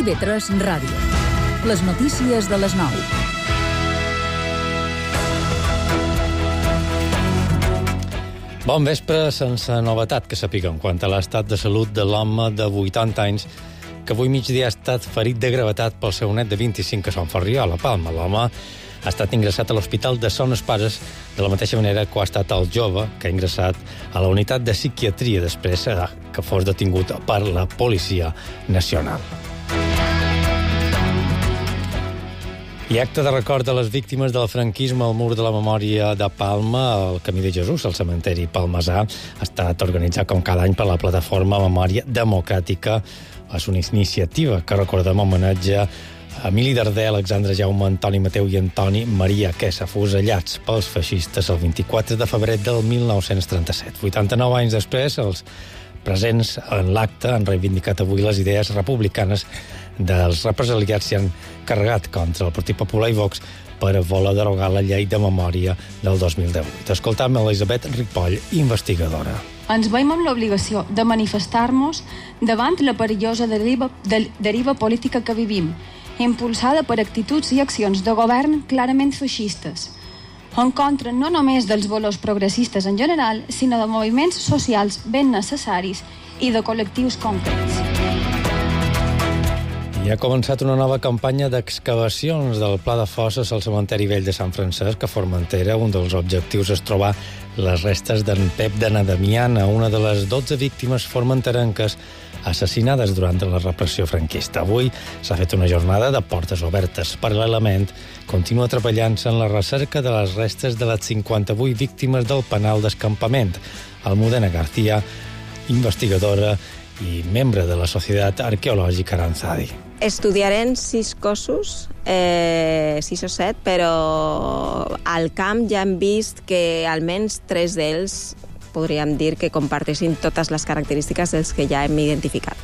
TV3 Ràdio. Les notícies de les 9. Bon vespre, sense novetat que sapiguem quant a l'estat de salut de l'home de 80 anys que avui migdia ha estat ferit de gravetat pel seu net de 25 a Sant Ferriol, a la Palma. L'home ha estat ingressat a l'Hospital de Son Espases de la mateixa manera que ho ha estat el jove que ha ingressat a la unitat de psiquiatria després que fos detingut per la Policia Nacional. I acte de record de les víctimes del franquisme al Mur de la Memòria de Palma, al Camí de Jesús, al cementeri palmesà, ha estat organitzat com cada any per la plataforma Memòria Democràtica. És una iniciativa que recordem homenatge a Emili Darder, Alexandre Jaume, Antoni Mateu i Antoni Maria, que s'afusellats pels feixistes el 24 de febrer del 1937. 89 anys després, els presents en l'acte han reivindicat avui les idees republicanes dels represaliats i han carregat contra el Partit Popular i Vox per voler derogar la llei de memòria del 2018. Escoltam Elisabet Ripoll, investigadora. Ens veiem amb l'obligació de manifestar-nos davant la perillosa deriva política que vivim, impulsada per actituds i accions de govern clarament feixistes, en contra no només dels valors progressistes en general, sinó de moviments socials ben necessaris i de col·lectius concrets. I ha començat una nova campanya d'excavacions del Pla de Fosses al cementeri vell de Sant Francesc, a Formentera. Un dels objectius és trobar les restes d'en Pep de Nadamiana, una de les 12 víctimes formenterenques assassinades durant la repressió franquista. Avui s'ha fet una jornada de portes obertes. Paral·lelament, continua treballant-se en la recerca de les restes de les 58 víctimes del penal d'escampament. Almudena García, investigadora i membre de la Societat Arqueològica Aranzadi. Estudiarem 6 cossos, 6 o 7, però al camp ja hem vist que almenys 3 d'ells podríem dir que comparteixin totes les característiques dels que ja hem identificat.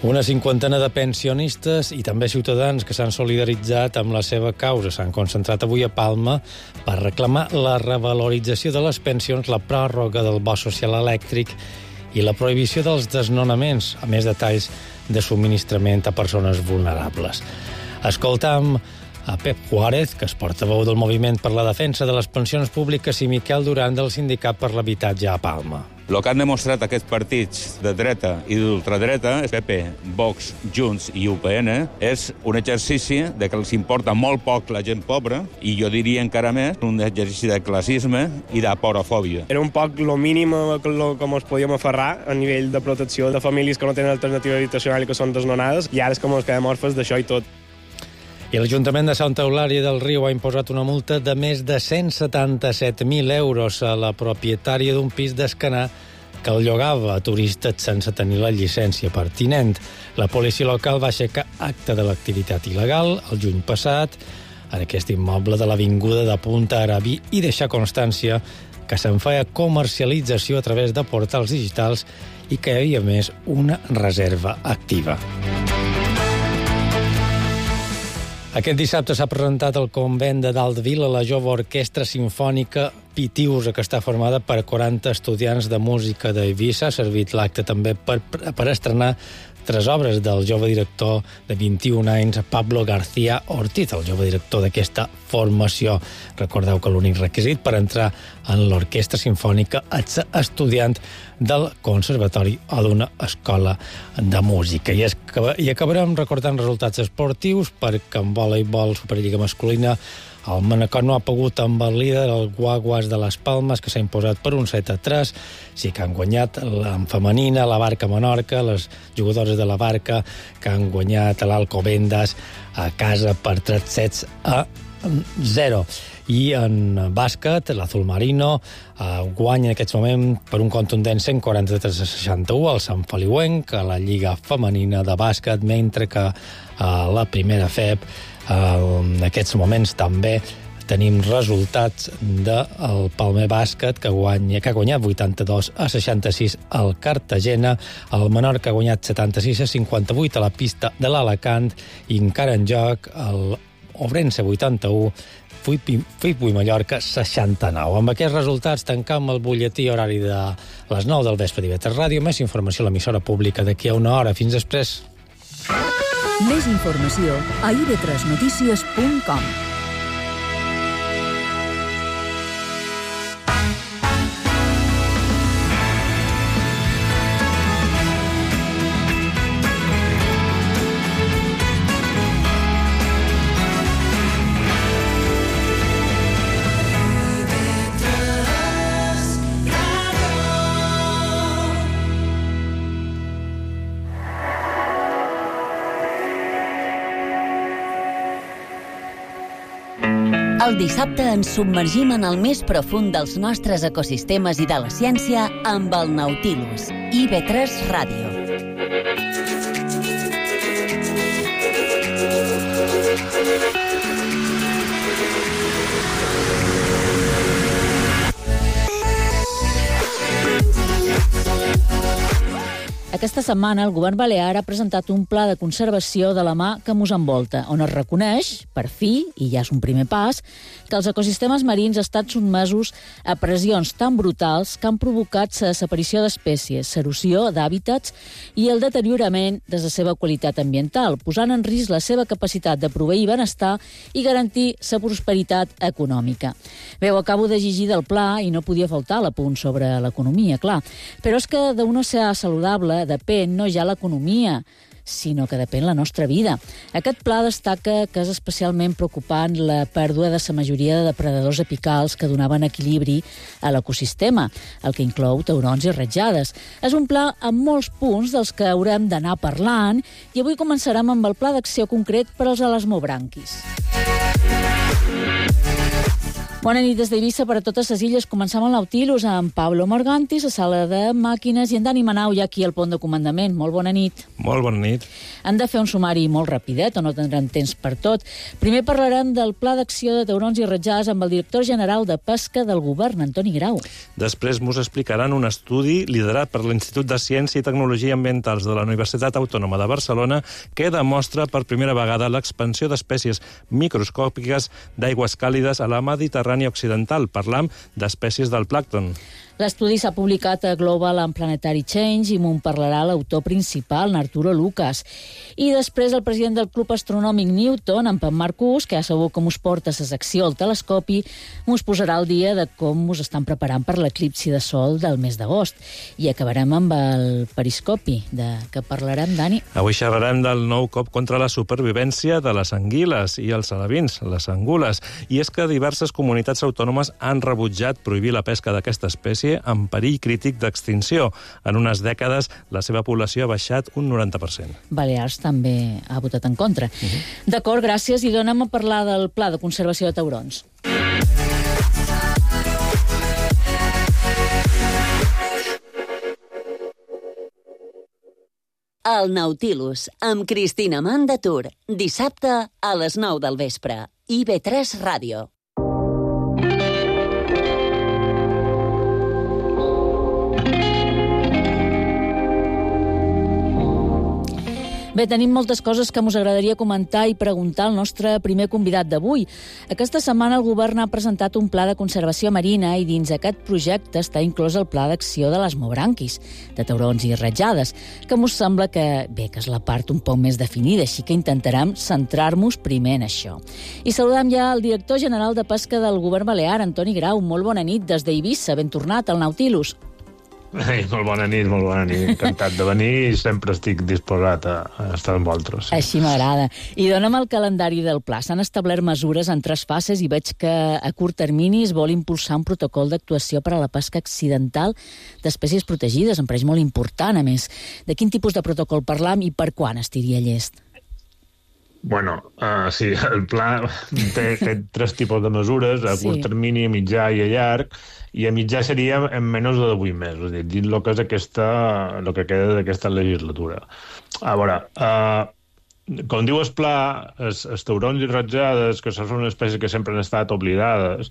Una cinquantena de pensionistes i també ciutadans que s'han solidaritzat amb la seva causa s'han concentrat avui a Palma per reclamar la revalorització de les pensions, la pròrroga del bo social elèctric i la prohibició dels desnonaments, a més detalls de subministrament a persones vulnerables. Escoltam a Pep Juárez, que és portaveu del Moviment per la Defensa de les Pensions Públiques, i Miquel Duran, del Sindicat per l'Habitatge a Palma. El que han demostrat aquests partits de dreta i d'ultradreta, PP, Vox, Junts i UPN, és un exercici de que els importa molt poc la gent pobra i jo diria encara més un exercici de classisme i d'aporofòbia. Era un poc lo mínim com ens podíem aferrar a nivell de protecció de famílies que no tenen alternativa habitacional i que són desnonades, i ara és com ens quedem orfes d'això i tot. I l'Ajuntament de Santa Eulàlia del Riu ha imposat una multa de més de 177.000 euros a la propietària d'un pis d'Escanar que el llogava a turistes sense tenir la llicència pertinent. La policia local va aixecar acte de l'activitat il·legal el juny passat en aquest immoble de l'Avinguda de Punta Arabí i deixar constància que se'n feia comercialització a través de portals digitals i que hi havia, més, una reserva activa. Aquest dissabte s'ha presentat al convent de Dalt de Vila la jove orquestra simfònica Pitiusa, que està formada per 40 estudiants de música d'Eivissa. Ha servit l'acte també per estrenar 3 obres del jove director de 21 anys, Pablo García Ortiz, el jove director d'aquesta formació. Recordeu que l'únic requisit per entrar en l'orquestra simfònica és ser estudiant del conservatori o d'una escola de música. I acabarem recordant resultats esportius, perquè en voleibol Superliga masculina el Manacor no ha pogut amb el líder, el Guaguas de les Palmes, que s'ha imposat per un 7-3. Sí que han guanyat en femenina la Barca Menorca, les jugadores de la Barca, que han guanyat l'Alcobendas a casa per 3-0. I en bàsquet, l'Azul Marino guanya en aquest moment per un contundent 143-61 al Sant Feliuenc, a la Lliga Femenina de Bàsquet, mentre que a la primera FEB en aquests moments també tenim resultats del Palmer Bàsquet, que ha guanyat 82-66 al Cartagena, el Menorca ha guanyat 76-58 a la pista de l'Alacant, i encara en joc el Obrense 81, Fuip i Mallorca 69. Amb aquests resultats tancam el butlletí horari de les 9 del vespre d'IV3 Ràdio. Més informació a l'emissora pública d'aquí a una hora. Fins després. Més informació a ib3notícies.com. El dissabte ens submergim en el més profund dels nostres ecosistemes i de la ciència amb el Nautilus, IB3 Ràdio. Aquesta setmana el govern balear ha presentat un pla de conservació de la mar que mos envolta, on es reconeix, per fi, i ja és un primer pas, que els ecosistemes marins estan sotmesos a pressions tan brutals que han provocat la desaparició d'espècies, l'erosió d'hàbitats i el deteriorament de la seva qualitat ambiental, posant en risc la seva capacitat de proveir benestar i garantir la prosperitat econòmica. Bé, ho acabo de llegir del pla i no podia faltar l'apunt sobre l'economia, clar. Però és que d'un oceà saludable depèn no ja l'economia, sinó que depèn la nostra vida. Aquest pla destaca que és especialment preocupant la pèrdua de la majoria de depredadors apicals que donaven equilibri a l'ecosistema, el que inclou taurons i ratjades. És un pla amb molts punts dels que haurem d'anar parlant i avui començarem amb el pla d'acció concret per als elasmobranquis. Bona nit des d'Eivissa per a totes les illes. Comencem el Nautilus amb Pablo Morgantis, a sala de màquines, i en Dani Manau ja aquí al pont de comandament. Molt bona nit. Molt bona nit. Han de fer un sumari molt rapidet, o no tindrem temps per tot. Primer parlarem del Pla d'Acció de Taurons i Ratjades amb el director general de Pesca del Govern, Antoni Grau. Després mos explicaran un estudi liderat per l'Institut de Ciència i Tecnologia Ambientals de la Universitat Autònoma de Barcelona que demostra per primera vegada l'expansió d'espècies microscòpiques d'aigües càlides a la Mediterrània occidental. Parlam d'espècies del plàncton. L'estudi s'ha publicat a Global and Planetary Change i m'ho parlarà l'autor principal, Arturo Lucas. I després el president del Club Astronòmic Newton, en Pep Marcús, que ja sabeu com us porta la secció al telescopi, mos posarà al dia de com us estan preparant per l'eclipsi de sol del mes d'agost. I acabarem amb el periscopi, de què parlarem, Dani? Avui xerrarem del nou cop contra la supervivència de les anguiles i els alevins, les angules. I és que diverses comunitats autònomes han rebutjat prohibir la pesca d'aquesta espècie en perill crític d'extinció. En unes dècades, la seva població ha baixat un 90%. Balears també ha votat en contra. D'acord, gràcies. I donem a parlar del Pla de Conservació de Taurons. El Nautilus, amb Cristina Mandatur. Dissabte a les 9 del vespre. IB3 Ràdio. Bé, tenim moltes coses que us agradaria comentar i preguntar al nostre primer convidat d'avui. Aquesta setmana el govern ha presentat un pla de conservació marina i dins aquest projecte està inclòs el pla d'acció de l'elasmobranquis, de taurons i ratjades, que mos sembla que, bé, que és la part un poc més definida, així que intentarem centrar-nos primer en això. I saludem ja el director general de Pesca del Govern Balear, Antoni Grau. Molt bona nit des d'Eivissa, ben tornat al Nautilus. Molt bona nit. Encantat de venir i sempre estic disposat a estar amb vosaltres. Sí. Així m'agrada. I dona'm el calendari del pla. S'han establert mesures en 3 fases i veig que a curt termini es vol impulsar un protocol d'actuació per a la pesca accidental d'espècies protegides. Em pareix molt important, a més. De quin tipus de protocol parlam i per quan estiria llest? Bueno, sí, el pla té 3 tipus de mesures, a curt termini, a mitjà i a llarg, i a mitjà seria en menys de 8 mesos, és a dir, dins el que és el que queda d'aquesta legislatura. A veure, com diu el pla, els taurons i ratjades, que són unes espècies que sempre han estat oblidades,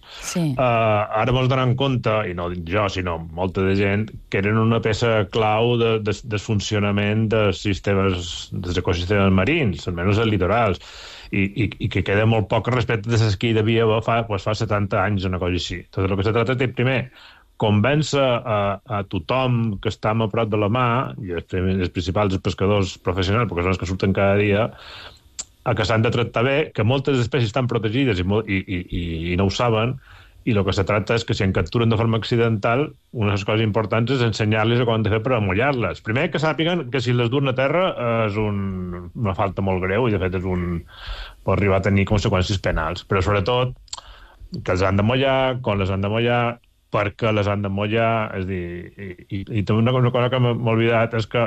ara mos donem compte, i no dic jo, sinó molta de gent, que eren una peça clau del funcionament dels ecosistemes marins, almenys els litorals, i que queda molt poc respecte de les que hi devia haver fa 70 anys, una cosa així. Tot el que se tracta és, primer, convèncer a tothom que està a prop de la mà, i els principals pescadors professionals, perquè són els que surten cada dia, a que s'han de tractar bé, que moltes espècies estan protegides i no ho saben, i el que se tracta és que si en capturen de forma accidental, una de les coses importants és ensenyar-los com han de fer per amollar-les. Primer, que sàpiguen que si les duen a terra és una falta molt greu i, de fet, pot arribar a tenir conseqüències penals. Però, sobretot, que els han de mullar, quan les han de mullar, perquè les han de mullar. És a dir, i també una cosa que m'he oblidat és que,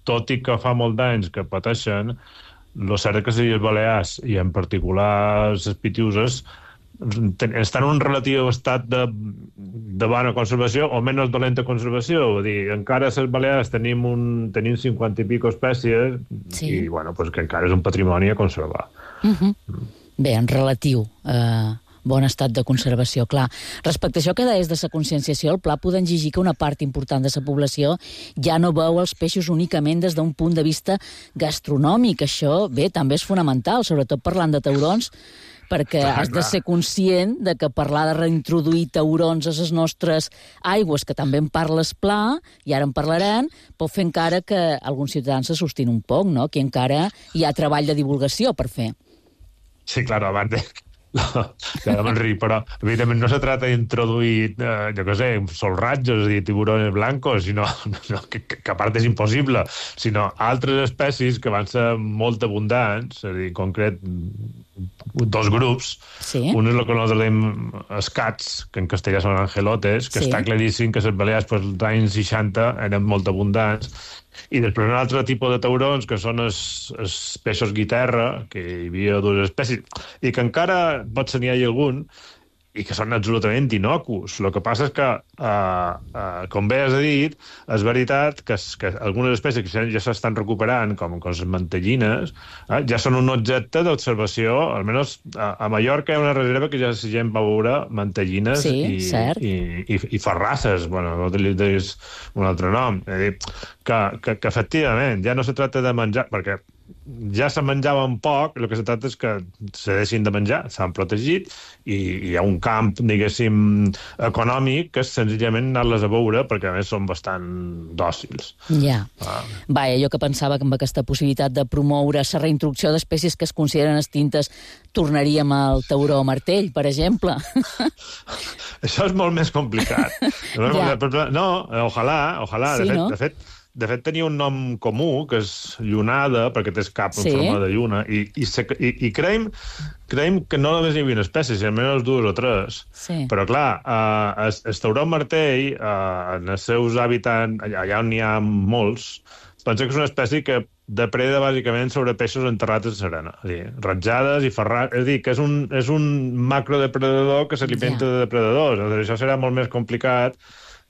tot i que fa molt d'anys que pateixen, el cert és que les Illes Balears, i en particular les Pitiüses, estan en un relatiu estat de bona conservació o menys dolenta conservació. Vull dir, encara a les Balears tenim 50 i pico espècies i, bueno, pues que encara és un patrimoni a conservar. Bé, en relatiu bon estat de conservació, clar. Respecte a això que deies de la conscienciació, el pla podem exigir que una part important de la població ja no veu els peixos únicament des d'un punt de vista gastronòmic. Això, bé, també és fonamental, sobretot parlant de taurons, perquè has de ser conscient de que parlar de reintroduir taurons a les nostres aigües, que també en parles pla, i ara en parlarem, pot fer encara que alguns ciutadans se sostin un poc, no? Que encara hi ha treball de divulgació per fer. Sí, clar, abans de... Ja me'n ric, però evidentment no se trata d'introduir, jo què sé, solratges, és a dir, tiburones blancos, sinó que a part és impossible, sinó altres espècies que van ser molt abundants, és a dir, en concret, dos grups. Un és el que nosaltres dèiem escats, que en castellà són angelotes, que està claríssim que les Balears als anys 60 eren molt abundants, i després un altre tipus de taurons, que són els peixos guitarra, que hi havia dues espècies, i que encara potser n'hi hagi algun, i que són absolutament innocus. El que passa és que, com bé has dit, és veritat que algunes espècies que ja s'estan recuperant, com les mantellines, ja són un objecte d'observació. Almenys a Mallorca hi ha una reserva que ja la gent va veure mantellines i farrasses. Bueno, no utilitzis un altre nom. És a dir, que efectivament ja no se tracta de menjar, perquè ja se menjaven poc, el que se tracta és que se deixin de menjar, s'han protegit, i hi ha un camp, diguéssim, econòmic, que és senzillament anar-les a veure, perquè a més són bastant dòcils. Ja. Vaja, jo que pensava que amb aquesta possibilitat de promoure la reintroducció d'espècies que es consideren extintes tornaríem al tauró martell, per exemple. Això és molt més complicat. No, ojalà. De fet, tenia un nom comú, que és llunada, perquè té cap en forma de lluna, i creiem que no només hi havia espècies, sinó almenys dues o tres. Però, clar, el tauró martell, en els seus hàbitats, allà on n'hi ha molts, pensa que és una espècie que depreda bàsicament sobre peixos enterrats en l'arena. És a dir, ratjades i ferrats. És a dir, que és un macrodepredador que s'alimenta de depredadors. Això serà molt més complicat,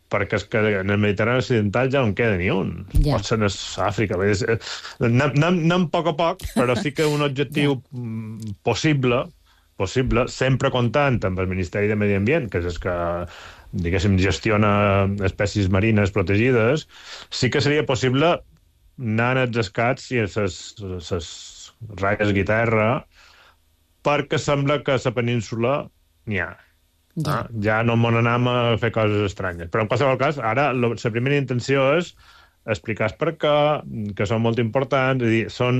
perquè és que en el Mediterrani occidental ja no en queda ni un. Potser en Àfrica. Anem a poc, però sí que un objectiu possible, sempre comptant amb el Ministeri de Medi Ambient, que és el que, diguéssim, gestiona espècies marines protegides, sí que seria possible anar als escats i a les ratlles guitarra, perquè sembla que a la península n'hi ha. Ja no m'on anem a fer coses estranyes. Però en qualsevol cas, ara la primera intenció és explicar per què, que són molt importants, és a dir, són,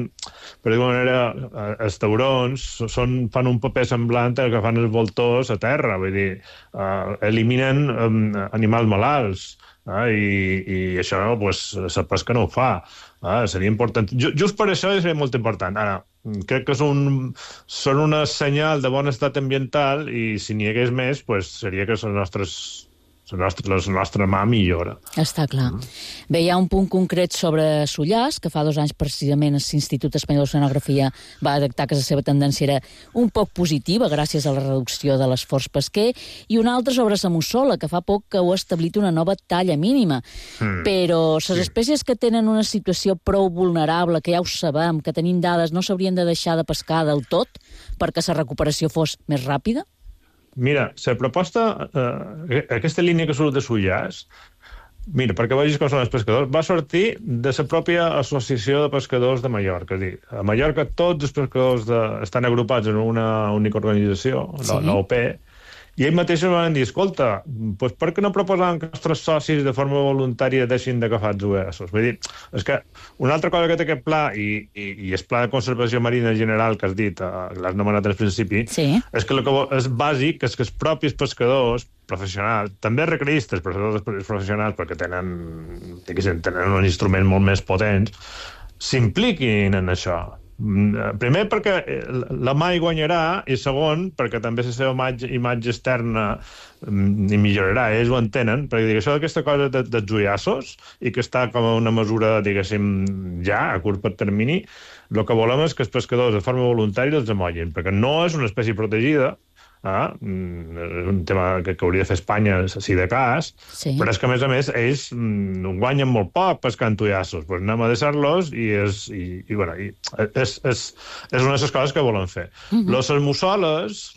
per dir-ho manera, els taurons fan un paper semblant al que fan els voltors a terra, vull dir, eliminen animals malalts, i això, pues, la pesca no ho fa. Seria important. Just per això seria molt important. Ara, crec que són un senyal de bon estat ambiental, i si n'hi hagués més, pues, seria que la nostra mà millora. Està clar. Bé, hi ha un punt concret sobre Sollars, que fa 2 anys precisament l'Institut Espanyol d'Oceanografia va detectar que la seva tendència era un poc positiva gràcies a la reducció de l'esforç pesquer, i un altre sobre la mussola, que fa poc que heu establit una nova talla mínima. Però les espècies que tenen una situació prou vulnerable, que ja ho sabem, que tenim dades, no s'haurien de deixar de pescar del tot perquè la recuperació fos més ràpida? Mira, la proposta, aquesta línia que surt de Sollars, mira, perquè vegis com són els pescadors, va sortir de la pròpia Associació de Pescadors de Mallorca. És a dir, a Mallorca tots els pescadors estan agrupats en una única organització, l'OP, I ells mateixos van dir, escolta, doncs per què no proposàvem que els nostres socis de forma voluntària deixin d'agafar els USOs? Vull dir, és que una altra cosa que té aquest pla, i el pla de conservació marina general que has dit, l'has anomenat al principi, és que el que és bàsic és que els propis pescadors professionals, també recreistes, però professionals, perquè tenen un instrument molt més potent, s'impliquin en això. Primer perquè la mà hi guanyarà i segon perquè també la seva imatge externa hi millorarà, ells ho entenen, perquè això d'aquesta cosa dels ullassos i que està com a una mesura, diguéssim, ja a curt termini, el que volem és que els pescadors de forma voluntària els amollin, perquè no és una espècie protegida, és un tema que hauria de fer Espanya si de cas, però és que a més ells guanyen molt poc pescant ullassos, doncs anem a deixar-los i és una de les coses que volen fer. Los mussoles,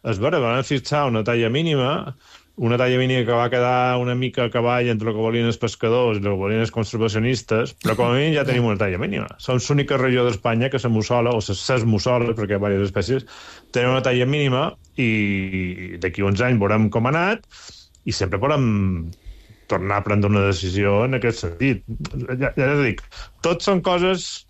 és vera, van fixar una talla mínima que va quedar una mica a cavall entre el que volien els pescadors i el que volien els conservacionistes, però com a mínim ja tenim una talla mínima. Som l'única regió d'Espanya que la mussola, o les mussoles, perquè hi ha diverses espècies, tenen una talla mínima i d'aquí uns anys veurem com ha anat i sempre podem tornar a prendre una decisió en aquest sentit. Ja dic, tot són coses...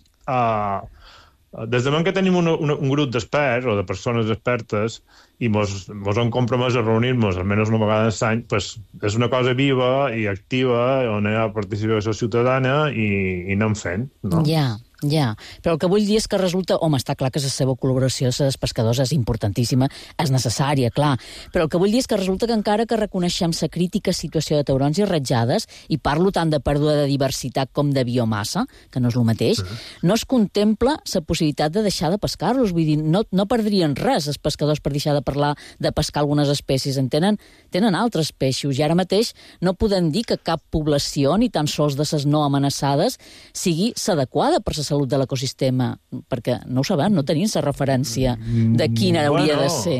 Des de moment que tenim un grup d'experts o de persones expertes i mos han compromès a reunir-nos almenys una vegada l'any, és una cosa viva i activa on hi ha participació ciutadana i anem fent, no? Ja, però el que vull dir és que resulta... Home, està clar que la seva col·laboració amb els pescadors és importantíssima, és necessària, clar, però el que vull dir és que resulta que encara que reconeixem la crítica situació de taurons i ratjades, i parlo tant de pèrdua de diversitat com de biomassa, que no és el mateix, no es contempla la possibilitat de deixar de pescar-los, vull dir, no perdrien res els pescadors per deixar de parlar de pescar algunes espècies, tenen altres peixos, i ara mateix no podem dir que cap població, ni tan sols de les no amenaçades, sigui l'adequada per la salut de l'ecosistema, perquè no ho sabem, no tenim la referència de quina hauria de ser.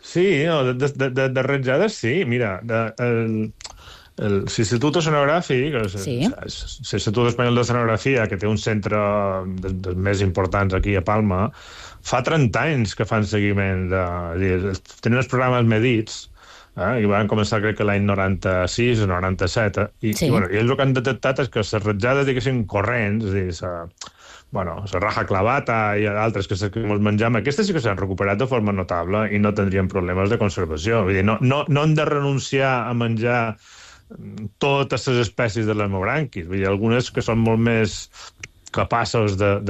Sí, de ratjades sí, mira, l'Institut Oceanogràfic, l'Institut Espanyol d'Oceanografia, que té un centre dels més importants aquí a Palma, fa 30 anys que fan seguiment, tenen els programes medits, i van començar crec que l'any 96 o 97, i ells el que han detectat és que les ratjades, diguéssim, corrents, la raja clavata i altres que ens mengem, aquestes sí que s'han recuperat de forma notable i no tindrien problemes de conservació. Vull dir, no hem de renunciar a menjar totes les espècies de l'hemobranquis. Vull dir, algunes que són molt més capaces de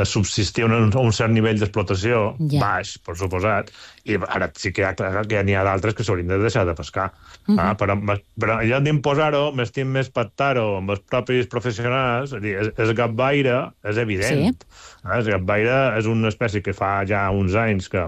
subsistir a un cert nivell d'explotació, baix, per suposat, i ara sí que n'hi ha d'altres que s'haurien de deixar de pescar. Però ja d'imposar-ho, m'estim més pactar-ho amb els propis professionals, el gatbaire és evident. El gatbaire és una espècie que fa ja uns anys que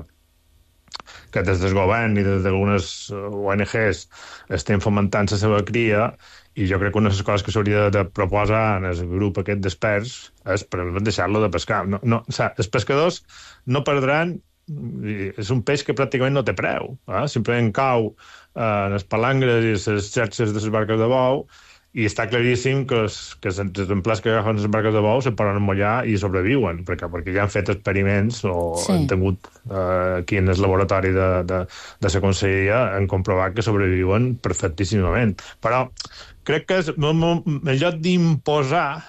des del govern i des d'algunes ONGs estem fomentant la seva cria, i jo crec que una de les coses que s'hauria de proposar en el grup aquest d'experts és per deixar-lo de pescar. Els pescadors no perdran, és un peix que pràcticament no té preu, simplement cau en les palangres i les xarxes de les barques de bou, i està claríssim que els exemplars que agafen les barques de bou se poden emmollar i sobreviuen, perquè ja han fet experiments o han tingut aquí en el laboratori de la conselleria han comprovat que sobreviuen perfectíssimament. Però crec que en lloc d'imposar,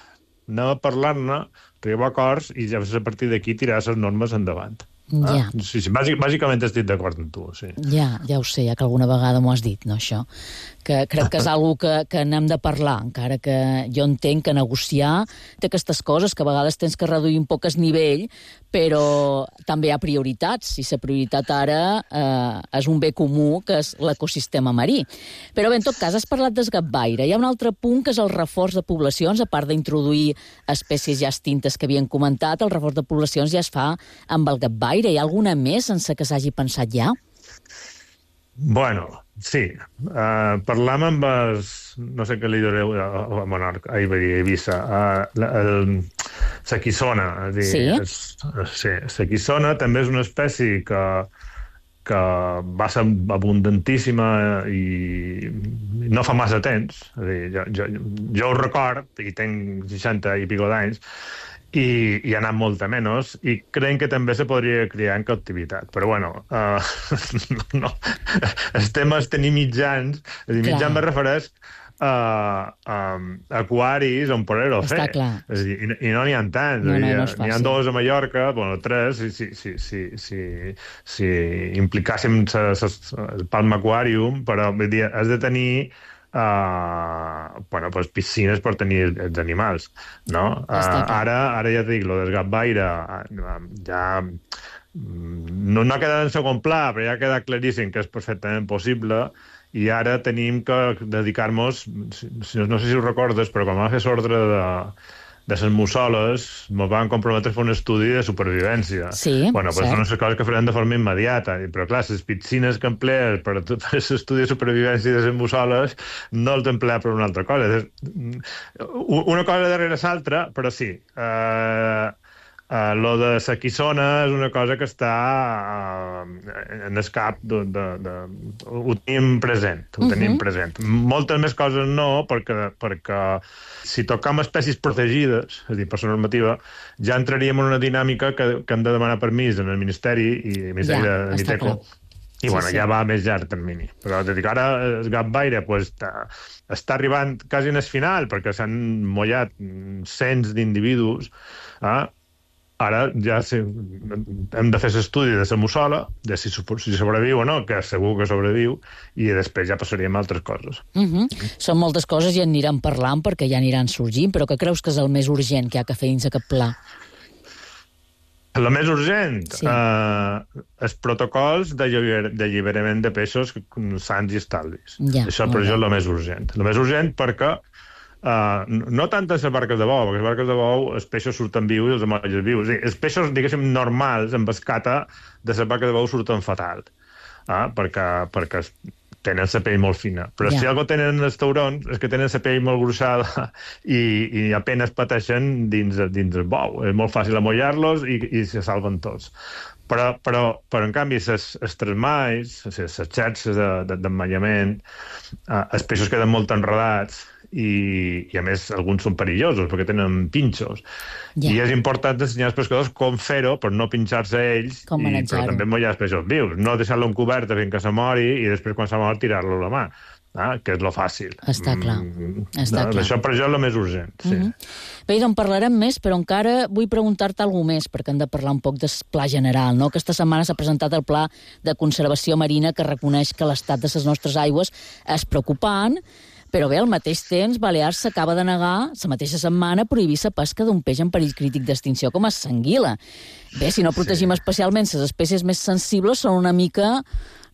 anem a parlar-ne, arribar a acords i ja a partir d'aquí tirar les normes endavant. Sí, bàsicament estic d'acord amb tu, sí. Ja ho sé, ja que alguna vegada m'ho has dit, no, això? Que crec que és una que n'hem de parlar, encara que jo entenc que negociar té aquestes coses, que a vegades tens que reduir un poc el nivell, però també hi ha prioritats, i la prioritat ara és un bé comú, que és l'ecosistema marí. Però bé, en tot cas, has parlat del gatbaire. Hi ha un altre punt, que és el reforç de poblacions, a part d'introduir espècies ja extintes que havien comentat, el reforç de poblacions ja es fa amb el gatbaire. Hi ha alguna més sense que s'hagi pensat ja? Bueno, sí. Parlam amb els... No sé què li direu a Monarca, a Eivissa. La quissona. Sí? Sí, la quissona també és una espècie que va ser abundantíssima i no fa massa temps. Jo ho record, i tinc 60 i pico d'anys, i ha anat molta menys, i creiem que també se podria criar en captivitat. Però, bueno, no. El tema és tenir mitjans. És a dir, mitjans me refereix aquaris on poder-ho fer. Està clar. És a dir, i no n'hi ha tants. No és n'hi ha fàcil. 2 a Mallorca, bueno, 3, si implicàssim el Palma Aquarium, però vull dir, has de tenir piscines per tenir els animals, no? Ara ja et dic, lo del gatvaire ja no ha quedat en segon pla, però ja ha quedat claríssim que és perfectament possible, i ara tenim que dedicar-nos, no sé si ho recordes, però quan vam fer l'ordre de les mussoles, ens van comprometre a fer un estudi de supervivència. Sí, bueno, pues són les coses que farem de forma immediata, però clar, les piscines que emplees per l'estudi de supervivència de les mussoles no els emplees per una altra cosa. Una cosa darrere l'altra, però sí. Lo de la quissona és una cosa que està en el cap ho tenim present, Moltes més coses no, perquè si tocam espècies protegides, és a dir, per la normativa, ja entraríem en una dinàmica que hem de demanar permís en el Ministeri i el Ministeri de Miteco. I bueno, ja va a més llarg termini. Però te dic, ara el gatvaire està arribant quasi en el final, perquè s'han mullat cents d'individus. Ara ja hem de fer l'estudi de la mussola, de si sobreviu o no, que segur que sobreviu, i després ja passaríem a altres coses. Són moltes coses i en aniran parlant perquè ja aniran sorgint, però què creus que és el més urgent que hi ha que fer dins aquest pla? El més urgent? Sí. Els protocols d'alliberament de peixos sans i estalvis. Això per això és el més urgent. El més urgent perquè no tant en les barques de bou, perquè les barques de bou els peixos surten vius i els amolles vius. Els peixos, diguéssim, normals, en escata, de les barques de bou surten fatal, perquè tenen la pell molt fina. Però si algo tenen els taurons és que tenen la pell molt gruixada i apenas pateixen dins el bou. És molt fàcil amollar-los i se salven tots. Però en canvi, els tresmalls, les xarxes d'emmallament, els peixos queden molt enredats, i a més alguns són perillosos perquè tenen pinxos i és important ensenyar als pescadors com fer-ho per no pinxar-se ells, però també mullar els peixos vius, no deixar-lo en coberta fins que se mori i després quan se mor tirar-lo a la mà, que és lo fàcil. Està clar. Això per això és el més urgent. Bé, doncs parlarem més, però encara vull preguntar-te alguna més, perquè hem de parlar un poc del pla general, no? Aquesta setmana s'ha presentat el Pla de Conservació Marina que reconeix que l'estat de les nostres aigües és preocupant. Però bé, al mateix temps, Balears s'acaba de negar, la mateixa setmana, prohibir la pesca d'un peix en perill crític d'extinció com és l'anguila. Bé, si no protegim especialment les espècies més sensibles, són una mica,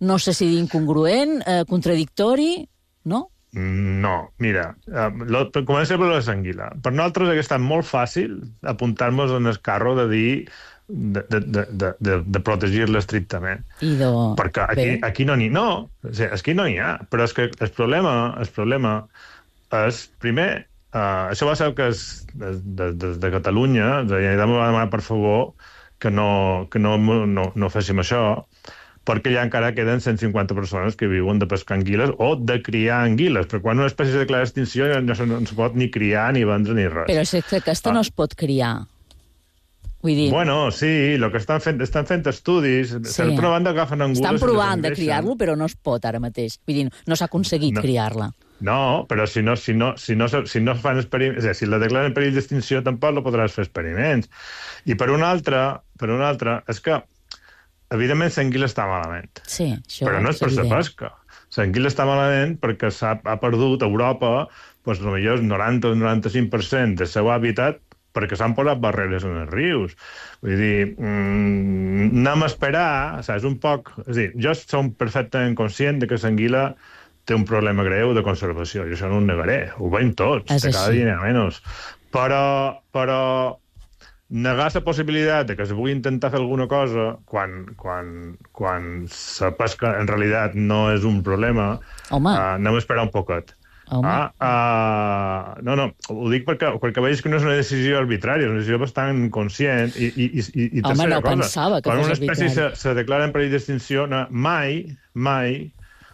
no sé si dir incongruent, contradictori, no? No, mira, comencem per l'anguila. Per nosaltres hauria estat molt fàcil apuntar-nos en el carro de dir de protegir-la estrictament. Perquè aquí no n'hi ha. Però és que el problema és, primer, això va ser que des de Catalunya la Generalitat va demanar per favor que no féssim això, perquè ja encara queden 150 persones que viuen de pescar anguiles o de criar anguiles, perquè quan una espècie es declara extinció no se pot ni criar, ni vendre, ni res. Però és que aquesta no es pot criar. Bueno, sí, el que estan fent estudis, estan provant d'agafar angules... Estan provant de criar-lo, però no es pot ara mateix. Vull dir, no s'ha aconseguit criar-la. No, però si no fan experiments... Si la declaren en perill d'extinció, tampoc no podràs fer experiments. I per una altra, és que, evidentment, l'anguila està malament. Sí, això però no és per la pesca. L'anguila està malament perquè ha perdut a Europa potser el 90 o 95% del seu hàbitat perquè s'han posat barreres en els rius. Vull dir, anem a esperar, saps, un poc... És a dir, jo som perfectament conscient que l'anguila té un problema greu de conservació, i això no ho negaré, ho veiem tots, de cada dia menys. Però negar la possibilitat de que se pugui intentar fer alguna cosa quan la pesca en realitat no és un problema, anem a esperar un poquet. No, ho dic perquè veig que no és una decisió arbitrària, és una decisió bastant conscient i tercera cosa, quan una espècie se declara en perill d'extinció, mai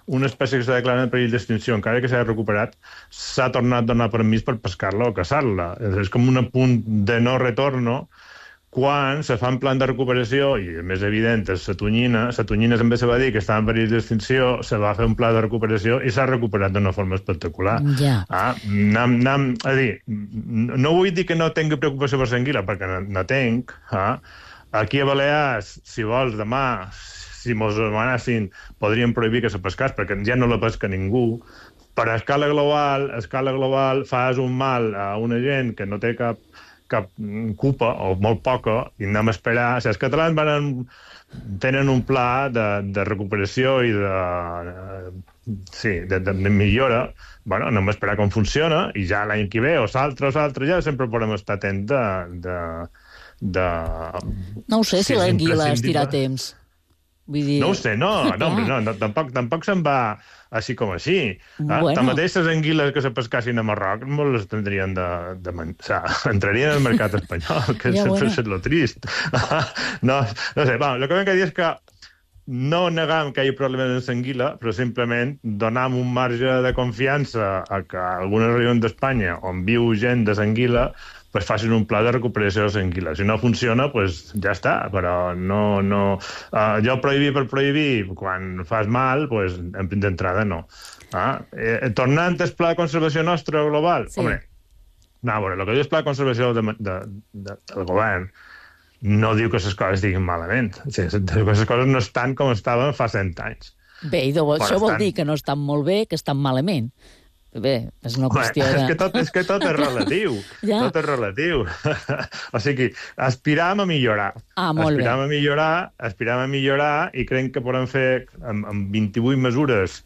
una espècie que s'ha declarat en perill d'extinció, encara que s'ha recuperat, s'ha tornat a donar permís per pescar-la o caçar-la. És com un punt de no retorno quan se fa un plan de recuperació, i el més evident és la tonyina també se va dir que estava en perill d'extinció, se va fer un pla de recuperació i s'ha recuperat d'una forma espectacular. Ja. És dir, no vull dir que no tingui preocupació per l'anguila, perquè no tinc. Aquí a Balears, si vols, demà, si mos demanessin, podríem prohibir que se pescés, perquè ja no la pesca ningú. Per a escala global fas un mal a una gent que no té cap culpa, o molt poca, i anem a esperar. Els catalans tenen un pla de recuperació i de millora. Bueno, anem a esperar com funciona, i ja l'any que ve, o l'altre, ja sempre podem estar atents No ho sé, si l'anguila es dirà temps. Vull dir... No ho sé, tampoc se'n va així com així. Bueno. Tanmateix, les anguiles que se pescassin a Marroc molt les tindrien de menjar. Entrarien al mercat espanyol, que és lo trist. No sé, el que vam dir és que no negam que hi ha problemes amb l'anguila, però simplement donam un marge de confiança a que algunes regions d'Espanya on viu gent de l'anguila pues facin un pla de recuperació de l'anguila. Si no funciona, pues ja està, però no... Jo prohibir per prohibir, quan fas mal, pues d'entrada no. Tornant al pla de conservació nostre global, home, el que diu el pla de conservació del govern no diu que les coses estiguin malament. Les coses no estan com estaven fa 100 anys. Bé, això vol dir que no estan molt bé, que estan malament. Bé, és una qüestió de... És que tot és relatiu. Tot és relatiu. O sigui, aspiram a millorar. Molt bé. Aspiram a millorar i crec que podem fer amb 28 mesures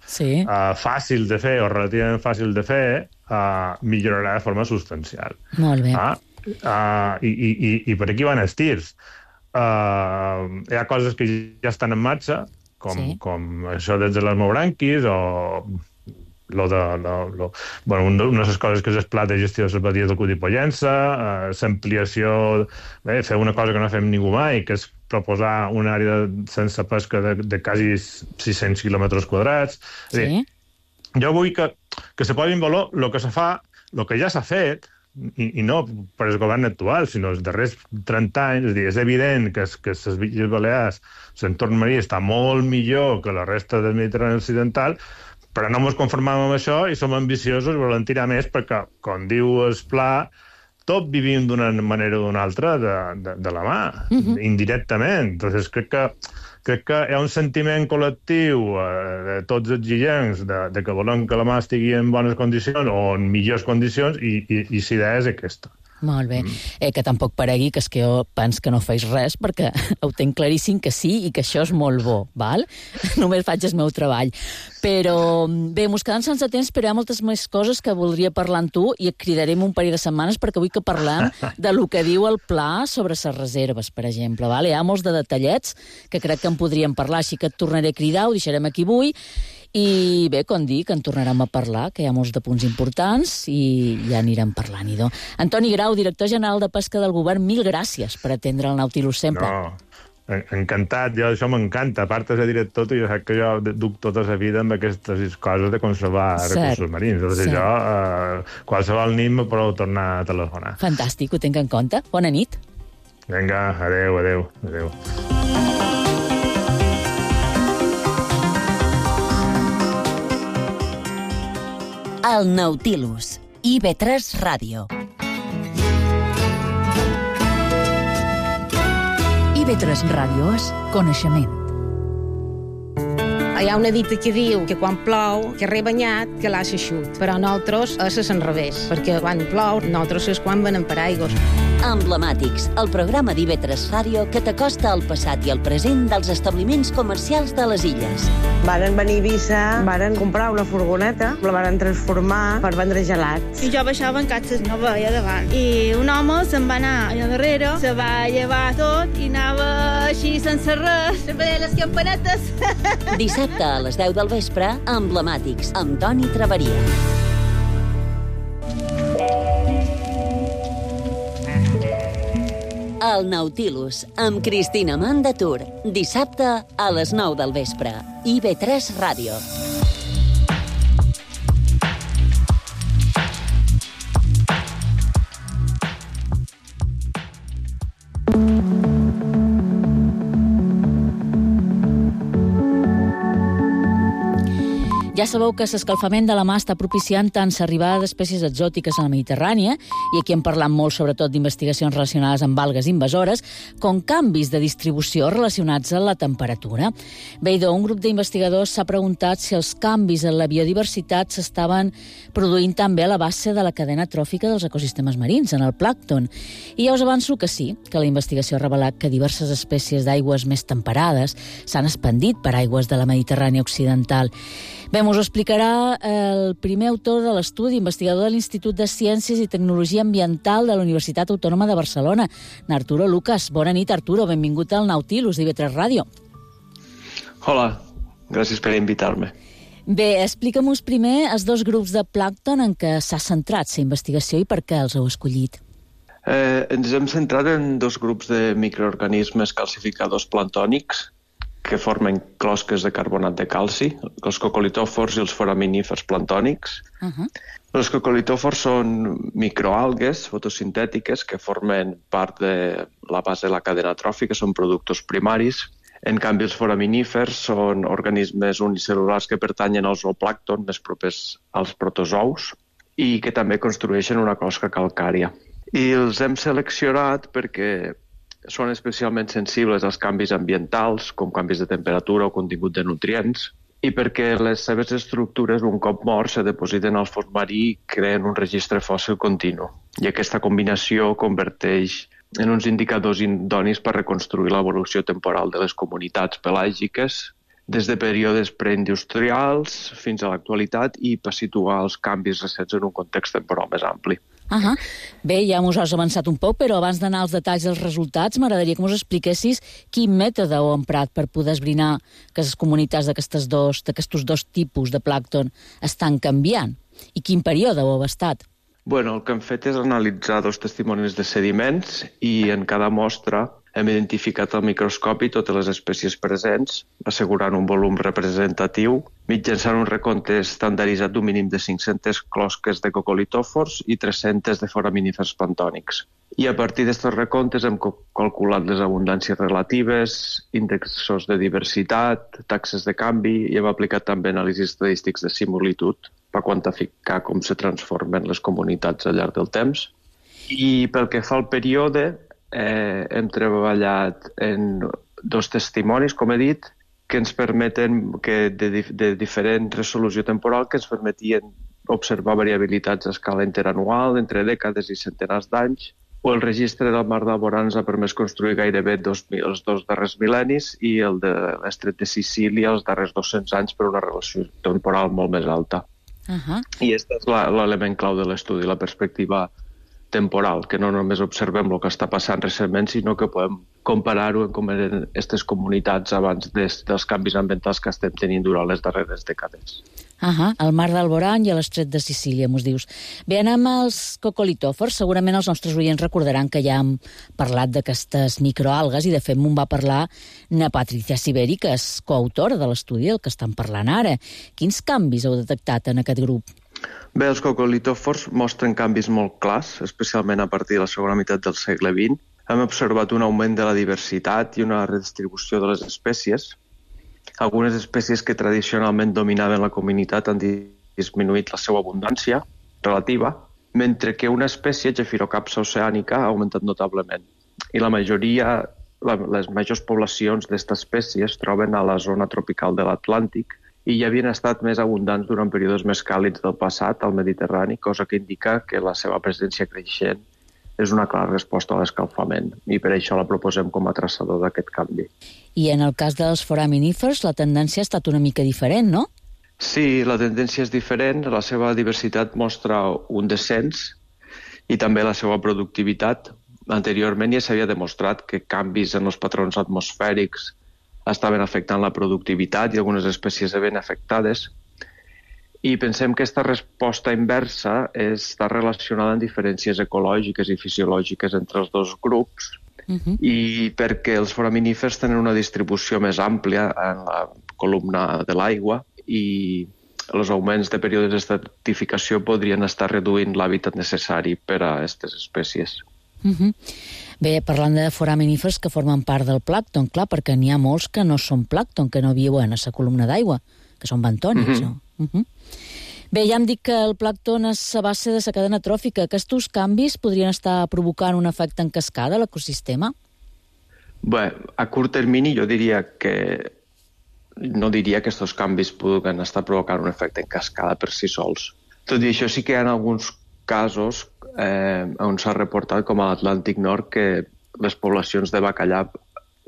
fàcils de fer o relativament fàcils de fer, millorarà de forma substancial. Molt bé. I per aquí van els tirs. Hi ha coses que ja estan en marxa, com això des de les mobranquis o... una de les coses que és el pla de gestió de les badies del Cudi Pollença, l'ampliació, fer una cosa que no fem ningú mai, que és proposar una àrea sense pesca de quasi 600 quilòmetres quadrats. Jo vull que se posi en valor el que se fa, el que ja s'ha fet, i no per el govern actual, sinó els darrers 30 anys. És evident que les Illes Balears, l'entorn marí, està molt millor que la resta del Mediterrani occidental, però no ens conformem amb això i som ambiciosos i volem tirar més perquè, com diu el pla, tot vivim d'una manera o d'una altra de la mà, indirectament. Entonces, crec que hi ha un sentiment col·lectiu de tots els illencs de que volem que la mà estigui en bones condicions o en millors condicions i la idea és aquesta. Molt bé. Que tampoc paregui que és que jo penso que no feis res, perquè ho tenc claríssim que sí i que això és molt bo, val? Només faig el meu treball. Però bé, mos quedem sense temps, però hi ha moltes més coses que voldria parlar amb tu i et cridarem un parell de setmanes perquè vull que parlem de lo que diu el pla sobre les reserves, per exemple. Val? Hi ha molts de detallets que crec que en podríem parlar, així que et tornaré a cridar, ho deixarem aquí avui. I bé, com dic, en tornarem a parlar, que hi ha molts de punts importants i ja anirem parlant-hi. Antoni Grau, director general de Pesca del Govern, mil gràcies per atendre el Nautilus sempre. No, encantat, això m'encanta. A part de dir tot, jo sap que jo duc tota la vida amb aquestes coses de conservar recursos marins. Llavors jo, qualsevol nit me podeu tornar a telefonar. Fantàstic, ho tinc en compte. Bona nit. Vinga, adeu. El Nautilus, IB3 Ràdio. IB3 Ràdio és coneixement. Hi ha una dita que diu que quan plou, que rebanyat, que l'ha eixut. Però nosaltres és l'enrevés, perquè quan plou, nosaltres és quan venem per aigües. Emblemàtics, el programa d'IB3 Ràdio que t'acosta al passat i al present dels establiments comercials de les illes. Varen venir a Eivissa, varen comprar una furgoneta, la varen transformar per vendre gelats. I jo baixava en catxes, no veia davant. I un home se'n va anar allà darrere, se va llevar tot i anava així sense res, se veia les campanetes. Dissabte a les 10 del vespre, Emblemàtics, amb Toni Traveria. El Nautilus, amb Cristina Mandatur. Dissabte a les 9 del vespre. IB3 Ràdio. Ja sabeu que l'escalfament de la mar està propiciant tant l'arribada d'espècies exòtiques a la Mediterrània, i aquí hem parlat molt sobretot d'investigacions relacionades amb algues invasores, com canvis de distribució relacionats amb la temperatura. Bé, un grup d'investigadors s'ha preguntat si els canvis en la biodiversitat s'estaven produint també a la base de la cadena tròfica dels ecosistemes marins, en el plàncton. I ja us avanço que sí, que la investigació ha revelat que diverses espècies d'aigües més temperades s'han expandit per aigües de la Mediterrània occidental. Bé, us ho explicarà el primer autor de l'estudi, investigador de l'Institut de Ciències i Tecnologia Ambiental de la Universitat Autònoma de Barcelona, Arturo Lucas. Bona nit, Arturo. Benvingut al Nautilus d'IV3 Ràdio. Hola, gràcies per invitar-me. Bé, explica'm-nos primer els dos grups de plàncton en què s'ha centrat la investigació i per què els heu escollit. Ens hem centrat en dos grups de microorganismes calcificadors planctònics que formen closques de carbonat de calci, els cocolitòfors i els foraminífers planctònics. Els cocolitòfors són microalgues fotosintètiques que formen part de la base de la cadena tròfica, són productes primaris. En canvi, els foraminífers són organismes unicel·lulars que pertanyen al zooplàncton, més propers als protozous, i que també construeixen una closca calcària. I els hem seleccionat perquè són especialment sensibles als canvis ambientals, com canvis de temperatura o contingut de nutrients, i perquè les seves estructures, un cop morts, se depositen al fons marí i creen un registre fòssil continu. I aquesta combinació converteix en uns indicadors idonis per reconstruir l'evolució temporal de les comunitats pelàgiques des de períodes preindustrials fins a l'actualitat i per situar els canvis recents en un context temporal més ampli. Bé, ja us has avançat un poc, però abans d'anar als detalls dels resultats, m'agradaria que us expliquessis quin mètode heu emprat per poder esbrinar que les comunitats d'aquestos dos tipus de plàncton estan canviant i quin període heu abastat. El que hem fet és analitzar dos testimonis de sediments i en cada mostra hem identificat al microscopi totes les espècies presents, assegurant un volum representatiu, mitjançant un recompte estandarditzat d'un mínim de 500 closques de cocolitòfors i 300 de foraminífers planctònics. I a partir d'aquests recomptes hem calculat les abundàncies relatives, índexs de diversitat, taxes de canvi i hem aplicat també anàlisis estadístics de similitud per quantificar com se transformen les comunitats al llarg del temps. I pel que fa al període, hem treballat en dos testimonis, com he dit, que ens permeten, de diferent resolució temporal, que ens permetien observar variabilitats a escala interanual, entre dècades i centenars d'anys, o el registre del mar d'Alborà ens ha permès construir gairebé els dos darrers mil·lennis i el de l'estret de Sicília els darrers 200 anys per una relació temporal molt més alta. I aquest és l'element clau de l'estudi, la perspectiva temporal, que no només observem el que està passant recentment, sinó que podem comparar-ho amb com eren aquestes comunitats abans dels canvis ambientals que estem tenint durant les darreres dècades. Al mar d'Alborà i a l'estret de Sicília, mos dius. Bé, anem als cocolitòfors. Segurament els nostres oients recordaran que ja hem parlat d'aquestes microalgues i de fet m'ho va parlar na Patricia Siberi, que és coautora de l'estudi del que estan parlant ara. Quins canvis heu detectat en aquest grup? Bé, els cocolitòfors mostren canvis molt clars, especialment a partir de la segona meitat del segle XX. Hem observat un augment de la diversitat i una redistribució de les espècies. Algunes espècies que tradicionalment dominaven la comunitat han disminuït la seva abundància relativa, mentre que una espècie, Gephirocapsa oceànica, ha augmentat notablement. I les majors poblacions d'aquesta espècie es troben a la zona tropical de l'Atlàntic i ja havien estat més abundants durant períodes més càlids del passat al Mediterrani, cosa que indica que la seva presència creixent és una clara resposta a l'escalfament i per això la proposem com a traçador d'aquest canvi. I en el cas dels foraminífers la tendència ha estat una mica diferent, no? Sí, la tendència és diferent, la seva diversitat mostra un descens i també la seva productivitat. Anteriorment ja s'havia demostrat que canvis en els patrons atmosfèrics estaven afectant la productivitat i algunes espècies se ven afectades. I pensem que aquesta resposta inversa està relacionada amb diferències ecològiques i fisiològiques entre els dos grups i perquè els foraminífers tenen una distribució més àmplia en la columna de l'aigua i els augments de períodes d'estratificació podrien estar reduint l'hàbitat necessari per a aquestes espècies. Bé, parlant de foraminífers que formen part del plàncton, clar, perquè n'hi ha molts que no són plàncton, que no viuen a la columna d'aigua, que són bentònics, no? Bé, ja hem dit que el plàncton és a base de la cadena tròfica. Aquests canvis podrien estar provocant un efecte en cascada a l'ecosistema? Bé, a curt termini jo diria que no diria que aquests canvis puguen estar provocant un efecte en cascada per si sols. Tot i això sí que hi ha alguns casos on s'ha reportat, com a l'Atlàntic Nord, que les poblacions de bacallà,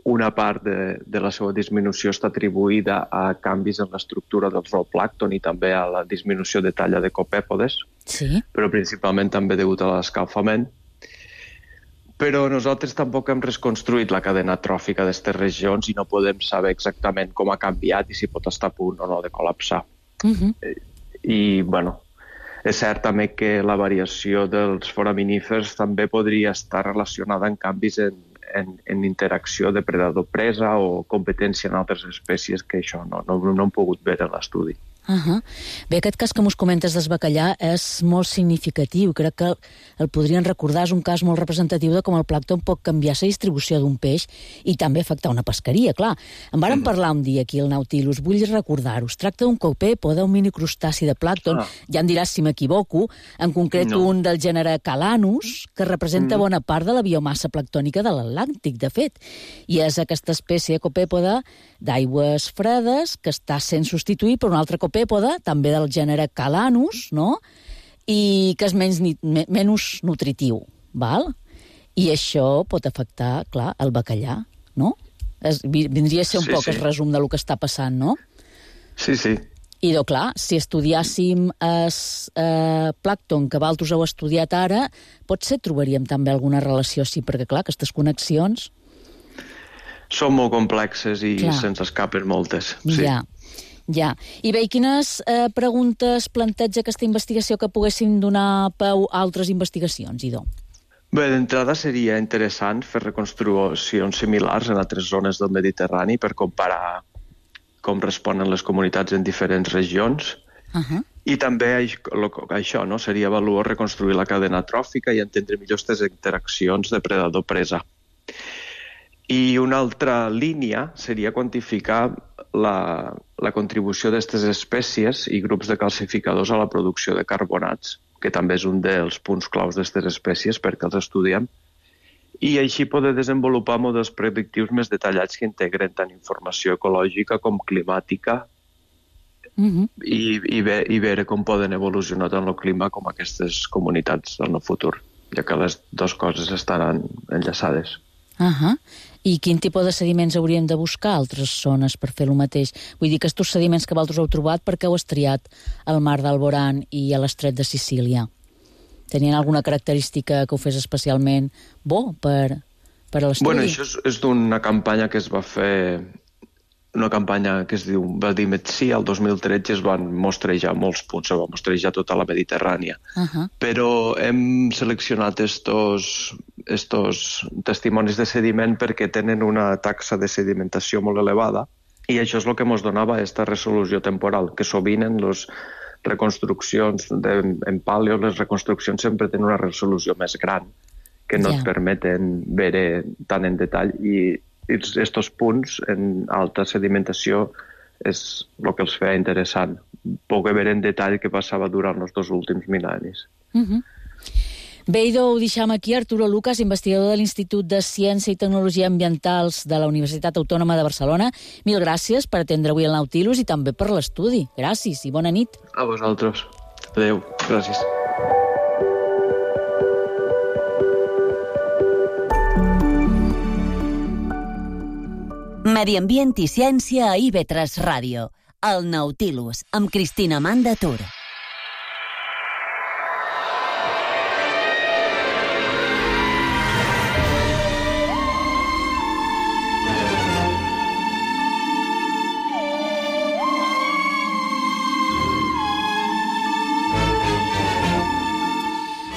una part de la seva disminució està atribuïda a canvis en l'estructura del zooplàncton i també a la disminució de talla de copèpodes, però principalment també degut a l'escalfament. Però nosaltres tampoc hem reconstruït la cadena tròfica d'aquestes regions i no podem saber exactament com ha canviat i si pot estar a punt o no de col·lapsar. I, bueno, és cert també que la variació dels foraminífers també podria estar relacionada amb canvis en interacció depredador-presa o competència en altres espècies, que això no hem pogut veure en l'estudi. Bé, aquest cas que mos comentes del bacallà és molt significatiu. Crec que el podrien recordar. És un cas molt representatiu de com el plàncton pot canviar la distribució d'un peix i també afectar una pesqueria, clar. En vàrem parlar un dia aquí al Nautilus. Vull recordar-ho. Es tracta d'un copèpode, un minicrustaci de plàncton. Ja em diràs si m'equivoco. En concret, un del gènere Calanus, que representa bona part de la biomassa plànctònica de l'Atlàntic, de fet. I és aquesta espècie de copèpode d'aigües fredes que està sent substituït per un altre copèpode, també del gènere Calanus, no? I que és menys nutritiu, val? I això pot afectar, clar, el bacallà, no? Vindria a ser un poc el resum del que està passant, no? Sí. I, clar, si estudiàssim el plàncton que vosaltres heu estudiat ara, potser trobaríem també alguna relació, sí, perquè, clar, aquestes connexions... Són molt complexes i se'ns escapen moltes. Ja. I bé, quines preguntes planteja aquesta investigació que poguessin donar peu a altres investigacions, Idó? Bé, d'entrada seria interessant fer reconstruccions similars en altres zones del Mediterrani per comparar com responen les comunitats en diferents regions. I també això, no? Seria valuós reconstruir la cadena tròfica i entendre millor aquestes interaccions depredador-presa. I una altra línia seria quantificar la contribució d'aquestes espècies i grups de calcificadors a la producció de carbonats, que també és un dels punts claus d'aquestes espècies perquè els estudiem, i així poder desenvolupar models predictius més detallats que integren tant informació ecològica com climàtica i veure com poden evolucionar tant el clima com aquestes comunitats en el futur, ja que les dues coses estaran enllaçades. I quin tipus de sediments hauríem de buscar a altres zones per fer el mateix? Vull dir que aquests sediments que vosaltres heu trobat, per què heu estriat al mar d'Alborán i a l'estret de Sicília? Tenien alguna característica que ho fes especialment bo per a l'estudi? Bueno, això és d'una campanya que es va fer, una campanya que es diu Valdimetsi, el 2013 es van mostrejar molts punts, es va mostrejar tota la Mediterrània. Però hem seleccionat estos testimonis de sediment perquè tenen una taxa de sedimentació molt elevada i això és el que ens donava aquesta resolució temporal, que sovint en les reconstruccions en paleo, les reconstruccions sempre tenen una resolució més gran que no et permeten veure tant en detall i aquests punts en alta sedimentació és el que els feia interessant, poder veure en detall què passava durant els 2 últims mil·lennis. Bé, Idó, ho deixem aquí. Arturo Lucas, investigador de l'Institut de Ciència i Tecnologia Ambientals de la Universitat Autònoma de Barcelona. Mil gràcies per atendre avui el Nautilus i també per l'estudi. Gràcies i bona nit. A vosaltres. Adéu. Gràcies. Medi Ambient i Ciència a IB3 Ràdio. El Nautilus, amb Cristina Manda Tur.